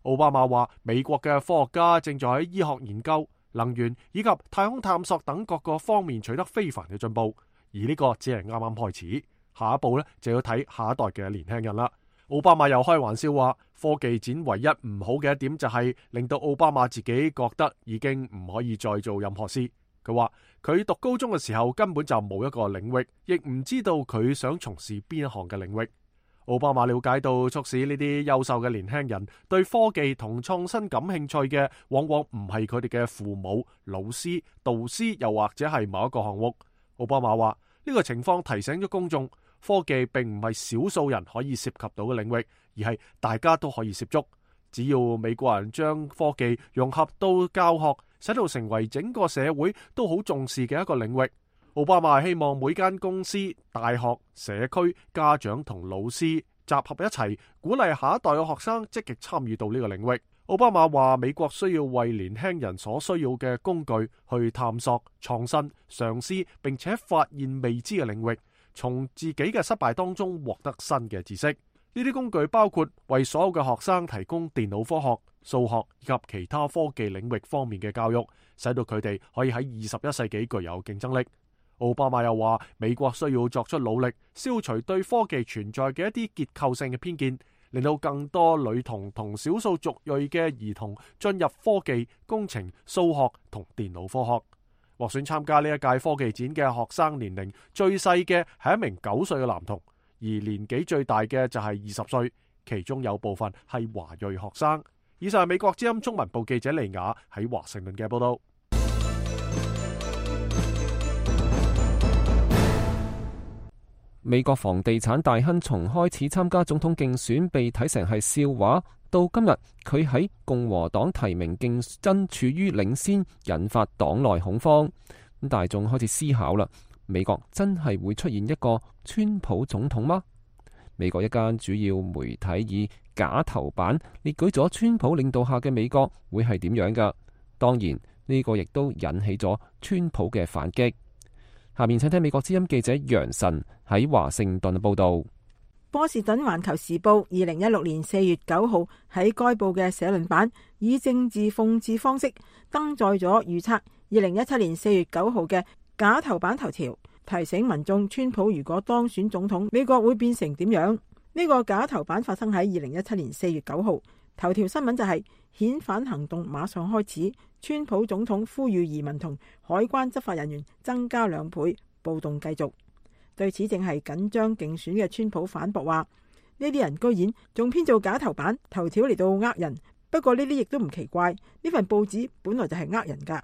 奧巴馬話美國嘅科學家正在喺醫學研究、能源以及太空探索等各個方面取得非凡嘅進步，而呢個只係啱啱開始，下一步呢就要睇下一代嘅年輕人啦。奧巴馬又開玩笑話，科技展唯一唔好嘅一點就係令到奧巴馬自己覺得已經唔可以再做任何事。佢話佢讀高中嘅時候根本就冇一個領域，亦唔知道佢想從事邊一項嘅領域。奧巴馬了解到，促使呢啲優秀嘅年輕人對科技同創新感興趣嘅，往往唔係佢哋嘅父母、老師、導師，又或者係某一個項目。奧巴馬話呢個情況提醒咗公眾，科技並唔係少數人可以涉及到嘅領域，而係大家都可以涉足。只要美國人將科技融合到教學，使到成為整個社會都好重視嘅一個領域。奧巴馬希望每間公司、大學、社區、家長同老師集合一齊，鼓勵下一代嘅學生積極參與到呢個領域。奧巴馬話美國需要為年輕人所需要嘅工具去探索、創新、嘗試並且發現未知嘅領域，從自己嘅失敗當中獲得新嘅知識。呢啲工具包括為所有嘅學生提供電腦科學、數學以及其他科技領域方面嘅教育，使到佢哋可以喺21世紀具有競爭力。奧巴馬又話美國需要作出努力，消除對科技存在嘅一啲結構性嘅偏見，令到更多女童同少數族裔嘅兒童進入科技、工程、數學同電腦科學。獲選參加呢一屆科技展嘅學生年齡最細嘅係一名9歲嘅男童，而年紀最大嘅就係20歲，其中有部分係華裔學生。以上係美國之音中文部記者利雅喺華盛頓嘅報道。美國房地產大亨從開始參加總統競選被睇成係笑話，到今日佢喺共和黨提名競爭處於領先，引發黨內恐慌。咁大眾開始思考啦，美國真係會出現一個川普總統嗎？美國一間主要媒體以假頭版列舉咗川普領導下嘅美國會係點樣㗎？當然呢個亦都引起咗川普嘅反擊。下面請聽美國之音記者楊晨喺華盛頓報道。波士頓環球時報2016年4月9號喺該報嘅社論版以政治諷刺方式登載咗預測2017年4月9號嘅假頭版頭條，提醒民眾川普如果當選總統，美國會變成點樣？呢個假頭版發生喺2017年4月9號，頭條新聞就係遣返行動馬上開始，川普總統呼籲移民同海關執法人員增加2倍，暴動繼續。對此正係緊張競選嘅川普反駁話，呢啲人居然仲編造假頭版頭條嚟到呃人。不過呢啲亦都唔奇怪，呢份報紙本來就係呃人噶。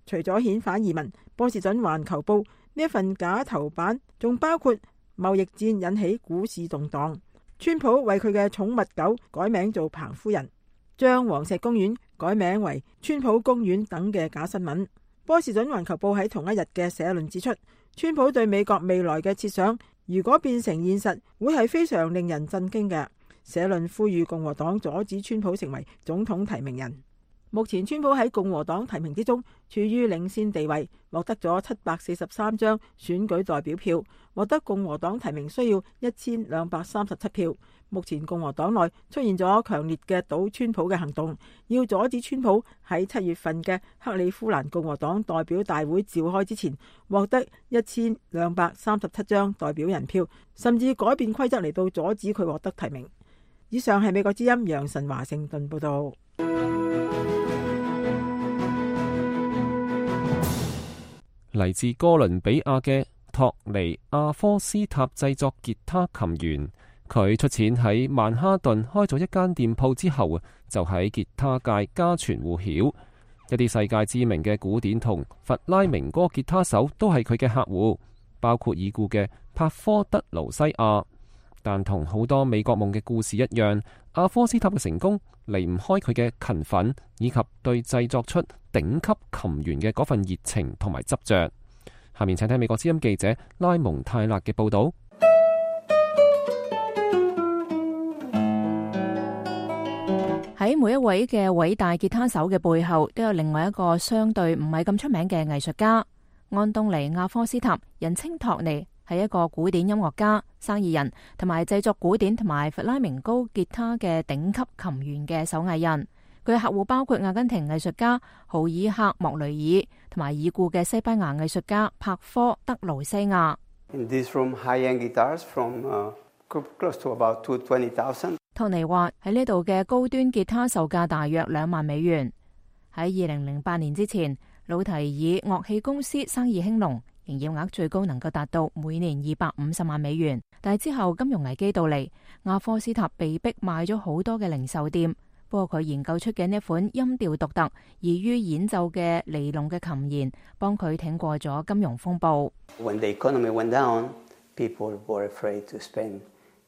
除咗遣返移民，波士頓環球報呢一份假頭版仲包括貿易戰引起股市動盪，川普為佢嘅寵物狗改名做彭夫人，將黃石公園改名為川普公園等嘅假新聞。波士頓環球報喺同一日嘅社論指出，川普對美國未來嘅設想如果變成現實，會係非常令人震驚嘅。社論呼籲共和黨阻止川普成為總統提名人。目前川普喺共和黨提名之中處於領先地位，獲得咗743張選舉代表票，獲得共和黨提名需要1237票。目前共和黨內出現咗強烈嘅倒川普嘅行動，要阻止川普喺7月份嘅克里夫蘭共和黨代表大會召開之前獲得1237張代表人票，甚至改變規則嚟到阻止佢獲得提名。以上係美國之音楊晨華盛頓報道。嚟自哥倫比亞嘅托尼亞科斯塔製作吉他琴員，佢出錢喺曼哈頓開咗一間店鋪之後，就喺吉他界家傳戶曉。一啲世界知名嘅古典同弗拉明戈吉他手都係佢嘅客戶，包括已故嘅帕科德勞西亞。但同好多美國夢嘅故事一樣，阿科斯塔嘅成功離唔開佢嘅勤奮，以及對製作出頂級琴弦嘅嗰份熱情同埋執着。下面請聽美國之音記者拉蒙泰勒嘅報道。喺每一位嘅偉大吉他手嘅背後，都有另外一個相對唔係咁出名嘅藝術家。安東尼亞科斯塔，人稱托尼，係一個古典音樂家、生意人，同埋製作古典同埋弗拉明高吉他嘅頂級琴弦嘅手藝人。佢嘅客戶包括阿根廷藝術家豪爾克莫雷爾，同埋已故嘅西班牙藝術家帕科德勞西亞。托尼話喺呢度嘅高端吉他售價大約2萬美元。喺2008年之前，魯提爾樂器公司生意興隆，營業額最高能夠達到每年250萬美元。但係之後金融危機到嚟，阿科斯塔被逼賣咗好多嘅零售店。不過佢研究出嘅呢一款音調獨特、易於演奏嘅尼龍嘅琴弦，幫佢挺過咗金融風暴。When the economy went down, people were afraid to spend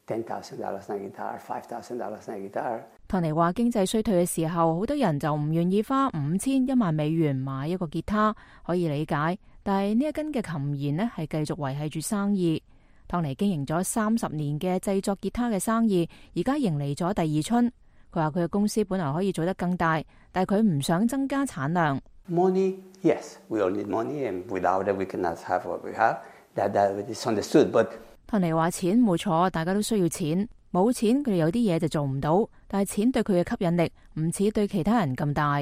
$10,000 on a guitar, $5,000 on a guitar。托尼話：經濟衰退嘅時候，好多人就唔願意花5000、1萬美元買一個吉他，可以理解。但係呢一根嘅琴弦呢，係繼續維繫住生意。托尼經營咗30年嘅製作吉他嘅生意，而家迎嚟咗第二春。佢話佢嘅公司本來可以做得更大，但係佢唔想增加產量。Money, yes, we all need money, and without it, we cannot have what we have. That is understood, but 托尼話：錢冇錯，大家都需要錢。冇錢，佢哋有啲嘢就做唔到。但係錢對佢嘅吸引力唔似對其他人咁大。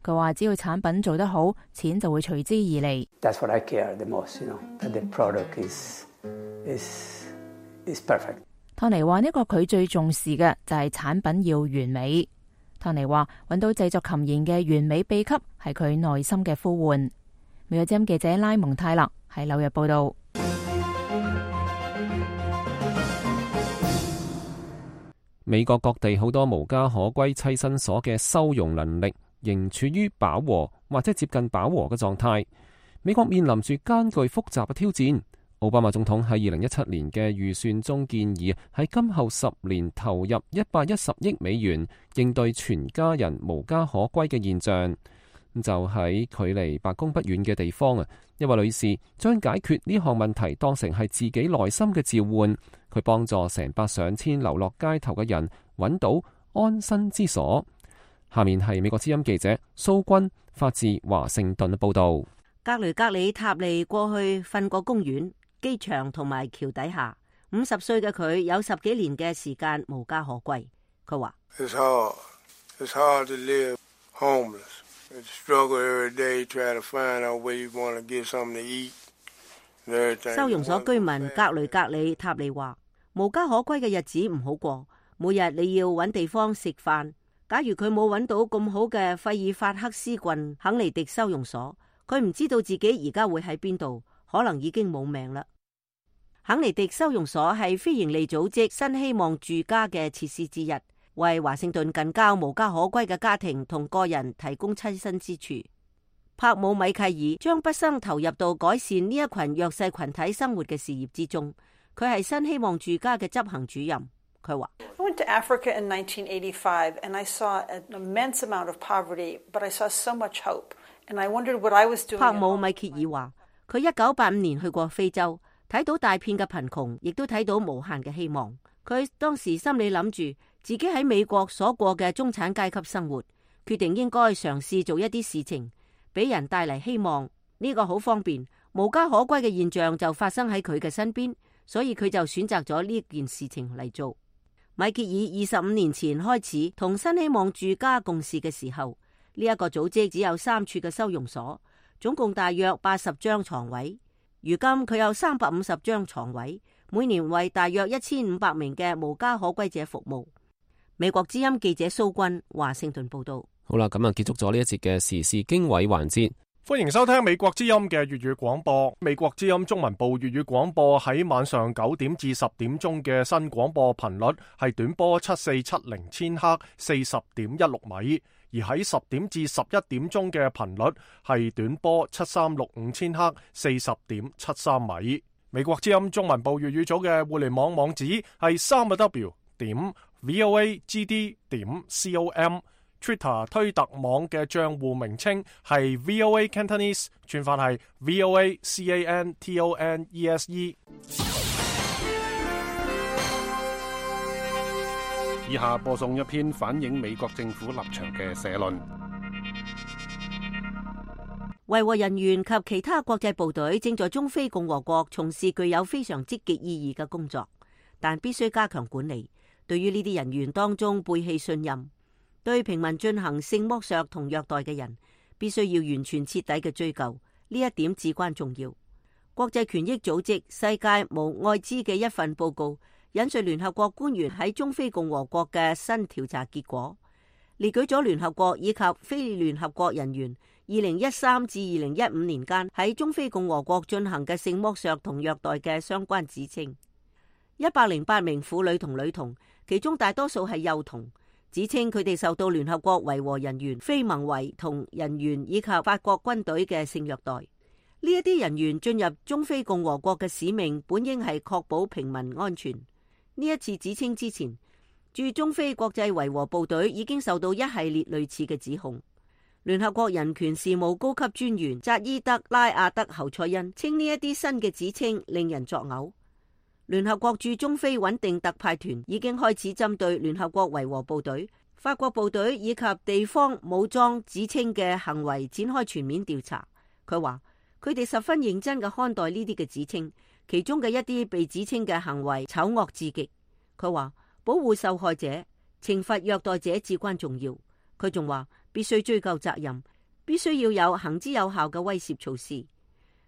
佢話：只要產品做得好，錢就會隨之而嚟。That's what I care the most, that the product is perfect。托尼話：呢個佢最重視嘅就係產品要完美。托尼話：揾到製作琴弦嘅完美秘笈係佢內心嘅呼喚。美國之音記者拉蒙泰勒喺紐約報道。美國各地好多無家可歸棲身所嘅收容能力仍處於飽和或者接近飽和嘅狀態。美國面臨住艱巨複雜嘅挑戰。奧巴馬總統喺2017年嘅預算中建議喺今後10年投入110億美元應對全家人無家可歸嘅現象。就喺距離白宮不遠嘅地方啊，一位女士將解決呢項問題當成係自己內心嘅召喚，佢幫助成百上千流落街頭嘅人揾到安身之所。下面係美國之音記者蘇君發自華盛頓嘅報道。格雷格里塔利過去瞓過公園、機場同埋橋底下。50歲嘅佢有10幾年嘅時間無家可歸。佢話：It's hard to live homeless. It's struggle every day trying to find out where you want to get something to eat. 收容所居民格雷格里塔利話：無家可歸嘅日子唔好過，每日你要揾地方食飯。假如佢冇揾到咁好嘅費爾法克斯郡肯尼迪收容所，佢唔知道自己而家會喺邊度，可能已經冇命啦。肯尼迪收容所係非營利組織新希望住家嘅設施之一，為華盛頓近郊無家可歸嘅家庭同個人提供棲身之處。帕姆米契爾將畢生投入到改善呢一群弱勢群體生活嘅事業之中。佢係新希望住家嘅執行主任。佢話：I went to Africa in 1985 and I saw an immense amount of poverty, but I saw so much hope, and I wondered what I was doing. 帕姆米契爾話：佢1985年去過非洲，睇到大片嘅貧窮，亦都睇到無限嘅希望。佢當時心裏諗住自己喺美國所過嘅中產階級生活，決定應該嘗試做一啲事情，俾人帶嚟希望。呢個好方便，無家可歸嘅現象就發生喺佢嘅身邊，所以佢就選擇咗呢件事情嚟做。米歇爾25年前開始同新希望住家共事嘅時候，呢一個組織只有3處嘅收容所，總共大約80張床位。如今佢有350張床位，每年為大約1500名嘅無家可歸者服務。美國之音記者蘇君華盛頓報道。好啦，咁啊結束咗呢一節嘅時事經緯環節。歡迎收聽美國之音嘅粵語廣播。美國之音中文部粵語廣播喺晚上9點至10點鐘嘅新廣播頻率係短波7470千赫40.16米，而喺10點至11點鐘嘅頻率係短波7365千赫40.73米。美國之音中文部粵語組嘅互聯網網址係3w.voagd.com。Twitter 推特網嘅賬戶名稱係 VOA Cantonese， 串法係 VOA CANTONESE。以下播送一篇反映美國政府立場嘅社論。維和人員及其他國際部隊正在中非共和國從事具有非常積極意義嘅工作，但必須加強管理。對於呢啲人員當中背棄信任、對平民進行性剝削同虐待嘅人，必須要完全徹底嘅追究，呢一點至關重要。國際權益組織世界無愛滋嘅一份報告引述聯合國官員喺中非共和國嘅新調查結果，列舉咗聯合國以及非聯合國人員2013至2015年間喺中非共和國進行嘅性剝削同虐待嘅相關指稱。108名婦女同女童，其中大多數係幼童，指稱佢哋受到聯合國維和人員、非盟維同人員以及法國軍隊嘅性虐待。呢一啲人員進入中非共和國嘅使命本應係確保平民安全。呢一次指稱之前，駐中非國際維和部隊已經受到一系列類似嘅指控。聯合國人權事務高級專員扎伊德拉亞德侯賽因稱呢一啲新嘅指稱令人作嘔。聯合國駐中非穩定特派團已經開始針對聯合國維和部隊、法國部隊以及地方武裝指稱嘅行為展開全面調查。佢話佢哋十分認真嘅看待呢啲嘅指稱，其中嘅一啲被指稱嘅行為醜惡至極。佢話保護受害者、懲罰虐待者至關重要。佢仲話必須追究責任，必須要有行之有效嘅威懾措施。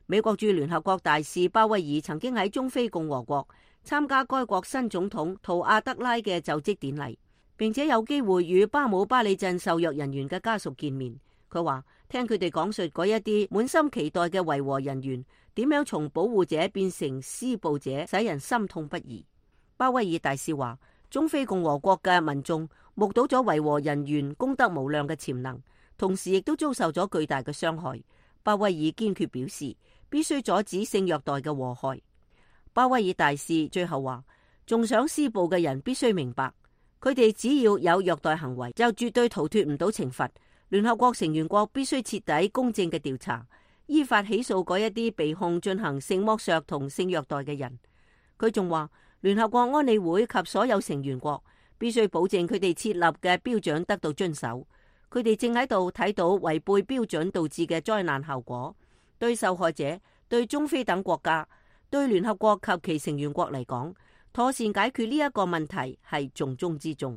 美國駐聯合國大使鮑威爾曾經喺中非共和國參加該國新總統圖阿德拉嘅就職典禮，並且有機會與巴姆巴里鎮受虐人員嘅家屬見面。佢話聽佢哋講述嗰一啲滿心期待嘅維和人員點樣從保護者變成施暴者，使人心痛不已。鮑威爾大使話中非共和國嘅民眾目睹咗維和人員功德無量嘅潛能，同時亦都遭受咗巨大嘅傷害。鮑威爾堅決表示必須阻止性虐待嘅禍害。鮑威爾大使最後話，仲想施暴嘅人必須明白，佢哋只要有虐待行為，就絕對逃脫唔到懲罰。聯合國成員國必須徹底公正嘅調查，依法起訴嗰一啲被控進行性剝削同性虐待嘅人。佢仲話，聯合國安理會及所有成員國必須保證佢哋設立嘅標準得到遵守。佢哋正喺度睇到違背標準導致嘅災難後果，對受害者、對中非等國家、對聯合國及其成員國嚟講，妥善解決呢一個問題係重中之重。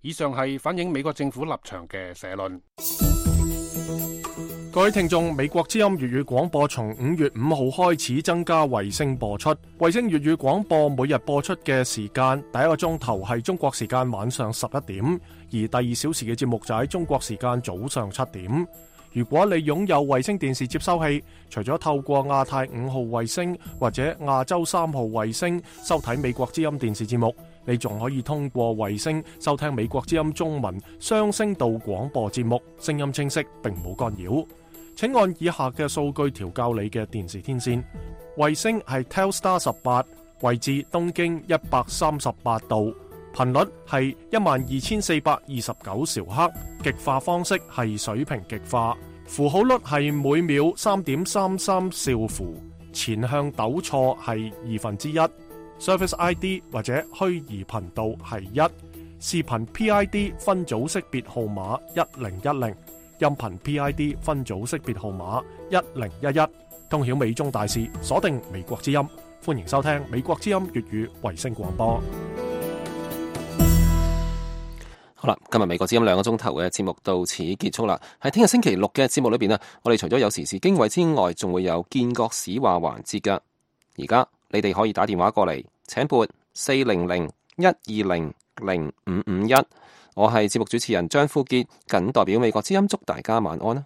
以上係反映美國政府立場嘅社論。各位聽眾，美國之音粵語廣播從5月5號開始增加衛星播出。衛星粵語廣播每日播出嘅時間，第一個鐘頭係中國時間晚上11點，而第2小時嘅節目就喺中國時間早上7點。如果你擁有衛星電視接收器，除咗透過亞太5號衛星或者亞洲3號衛星收睇美國之音電視節目，你仲可以通過衛星收聽美國之音中文雙聲道廣播節目，聲音清晰並冇干擾。請按以下嘅數據調校你嘅電視天線。衛星係 Telstar 18，位置東經138度，頻率係12429兆赫，極化方式係水平極化，符號率係每秒 3.33 兆符，前向糾錯係1/2，Service ID 或者虛擬頻道係1，視頻 PID 分組識別號碼1010，音頻 PID 分組識別號碼1011，通曉美中大事，鎖定美國之音，歡迎收聽美國之音粵語衛星廣播。好啦，今日美國之音2個鐘頭嘅節目到此結束啦。喺聽日星期六嘅節目裏邊啊，我哋除咗有時事經緯之外，仲會有建國史話環節噶。而家你哋可以打電話過嚟，請撥400-120-0551。我係節目主持人張富傑，謹代表美國之音祝大家晚安啦。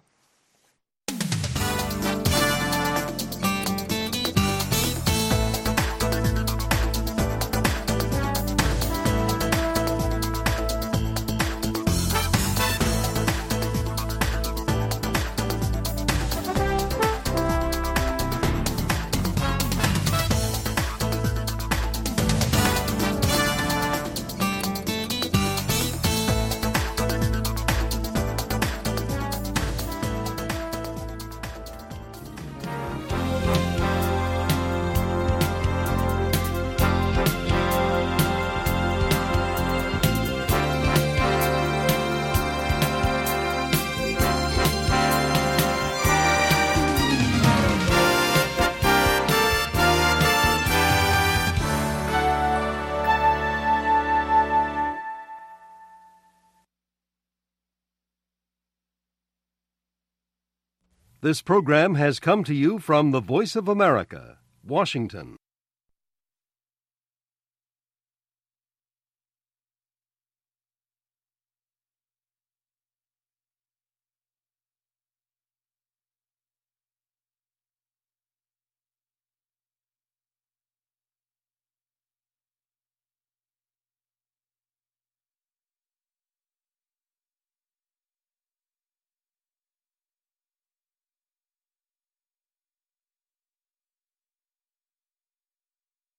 This program has come to you from the Voice of America, Washington.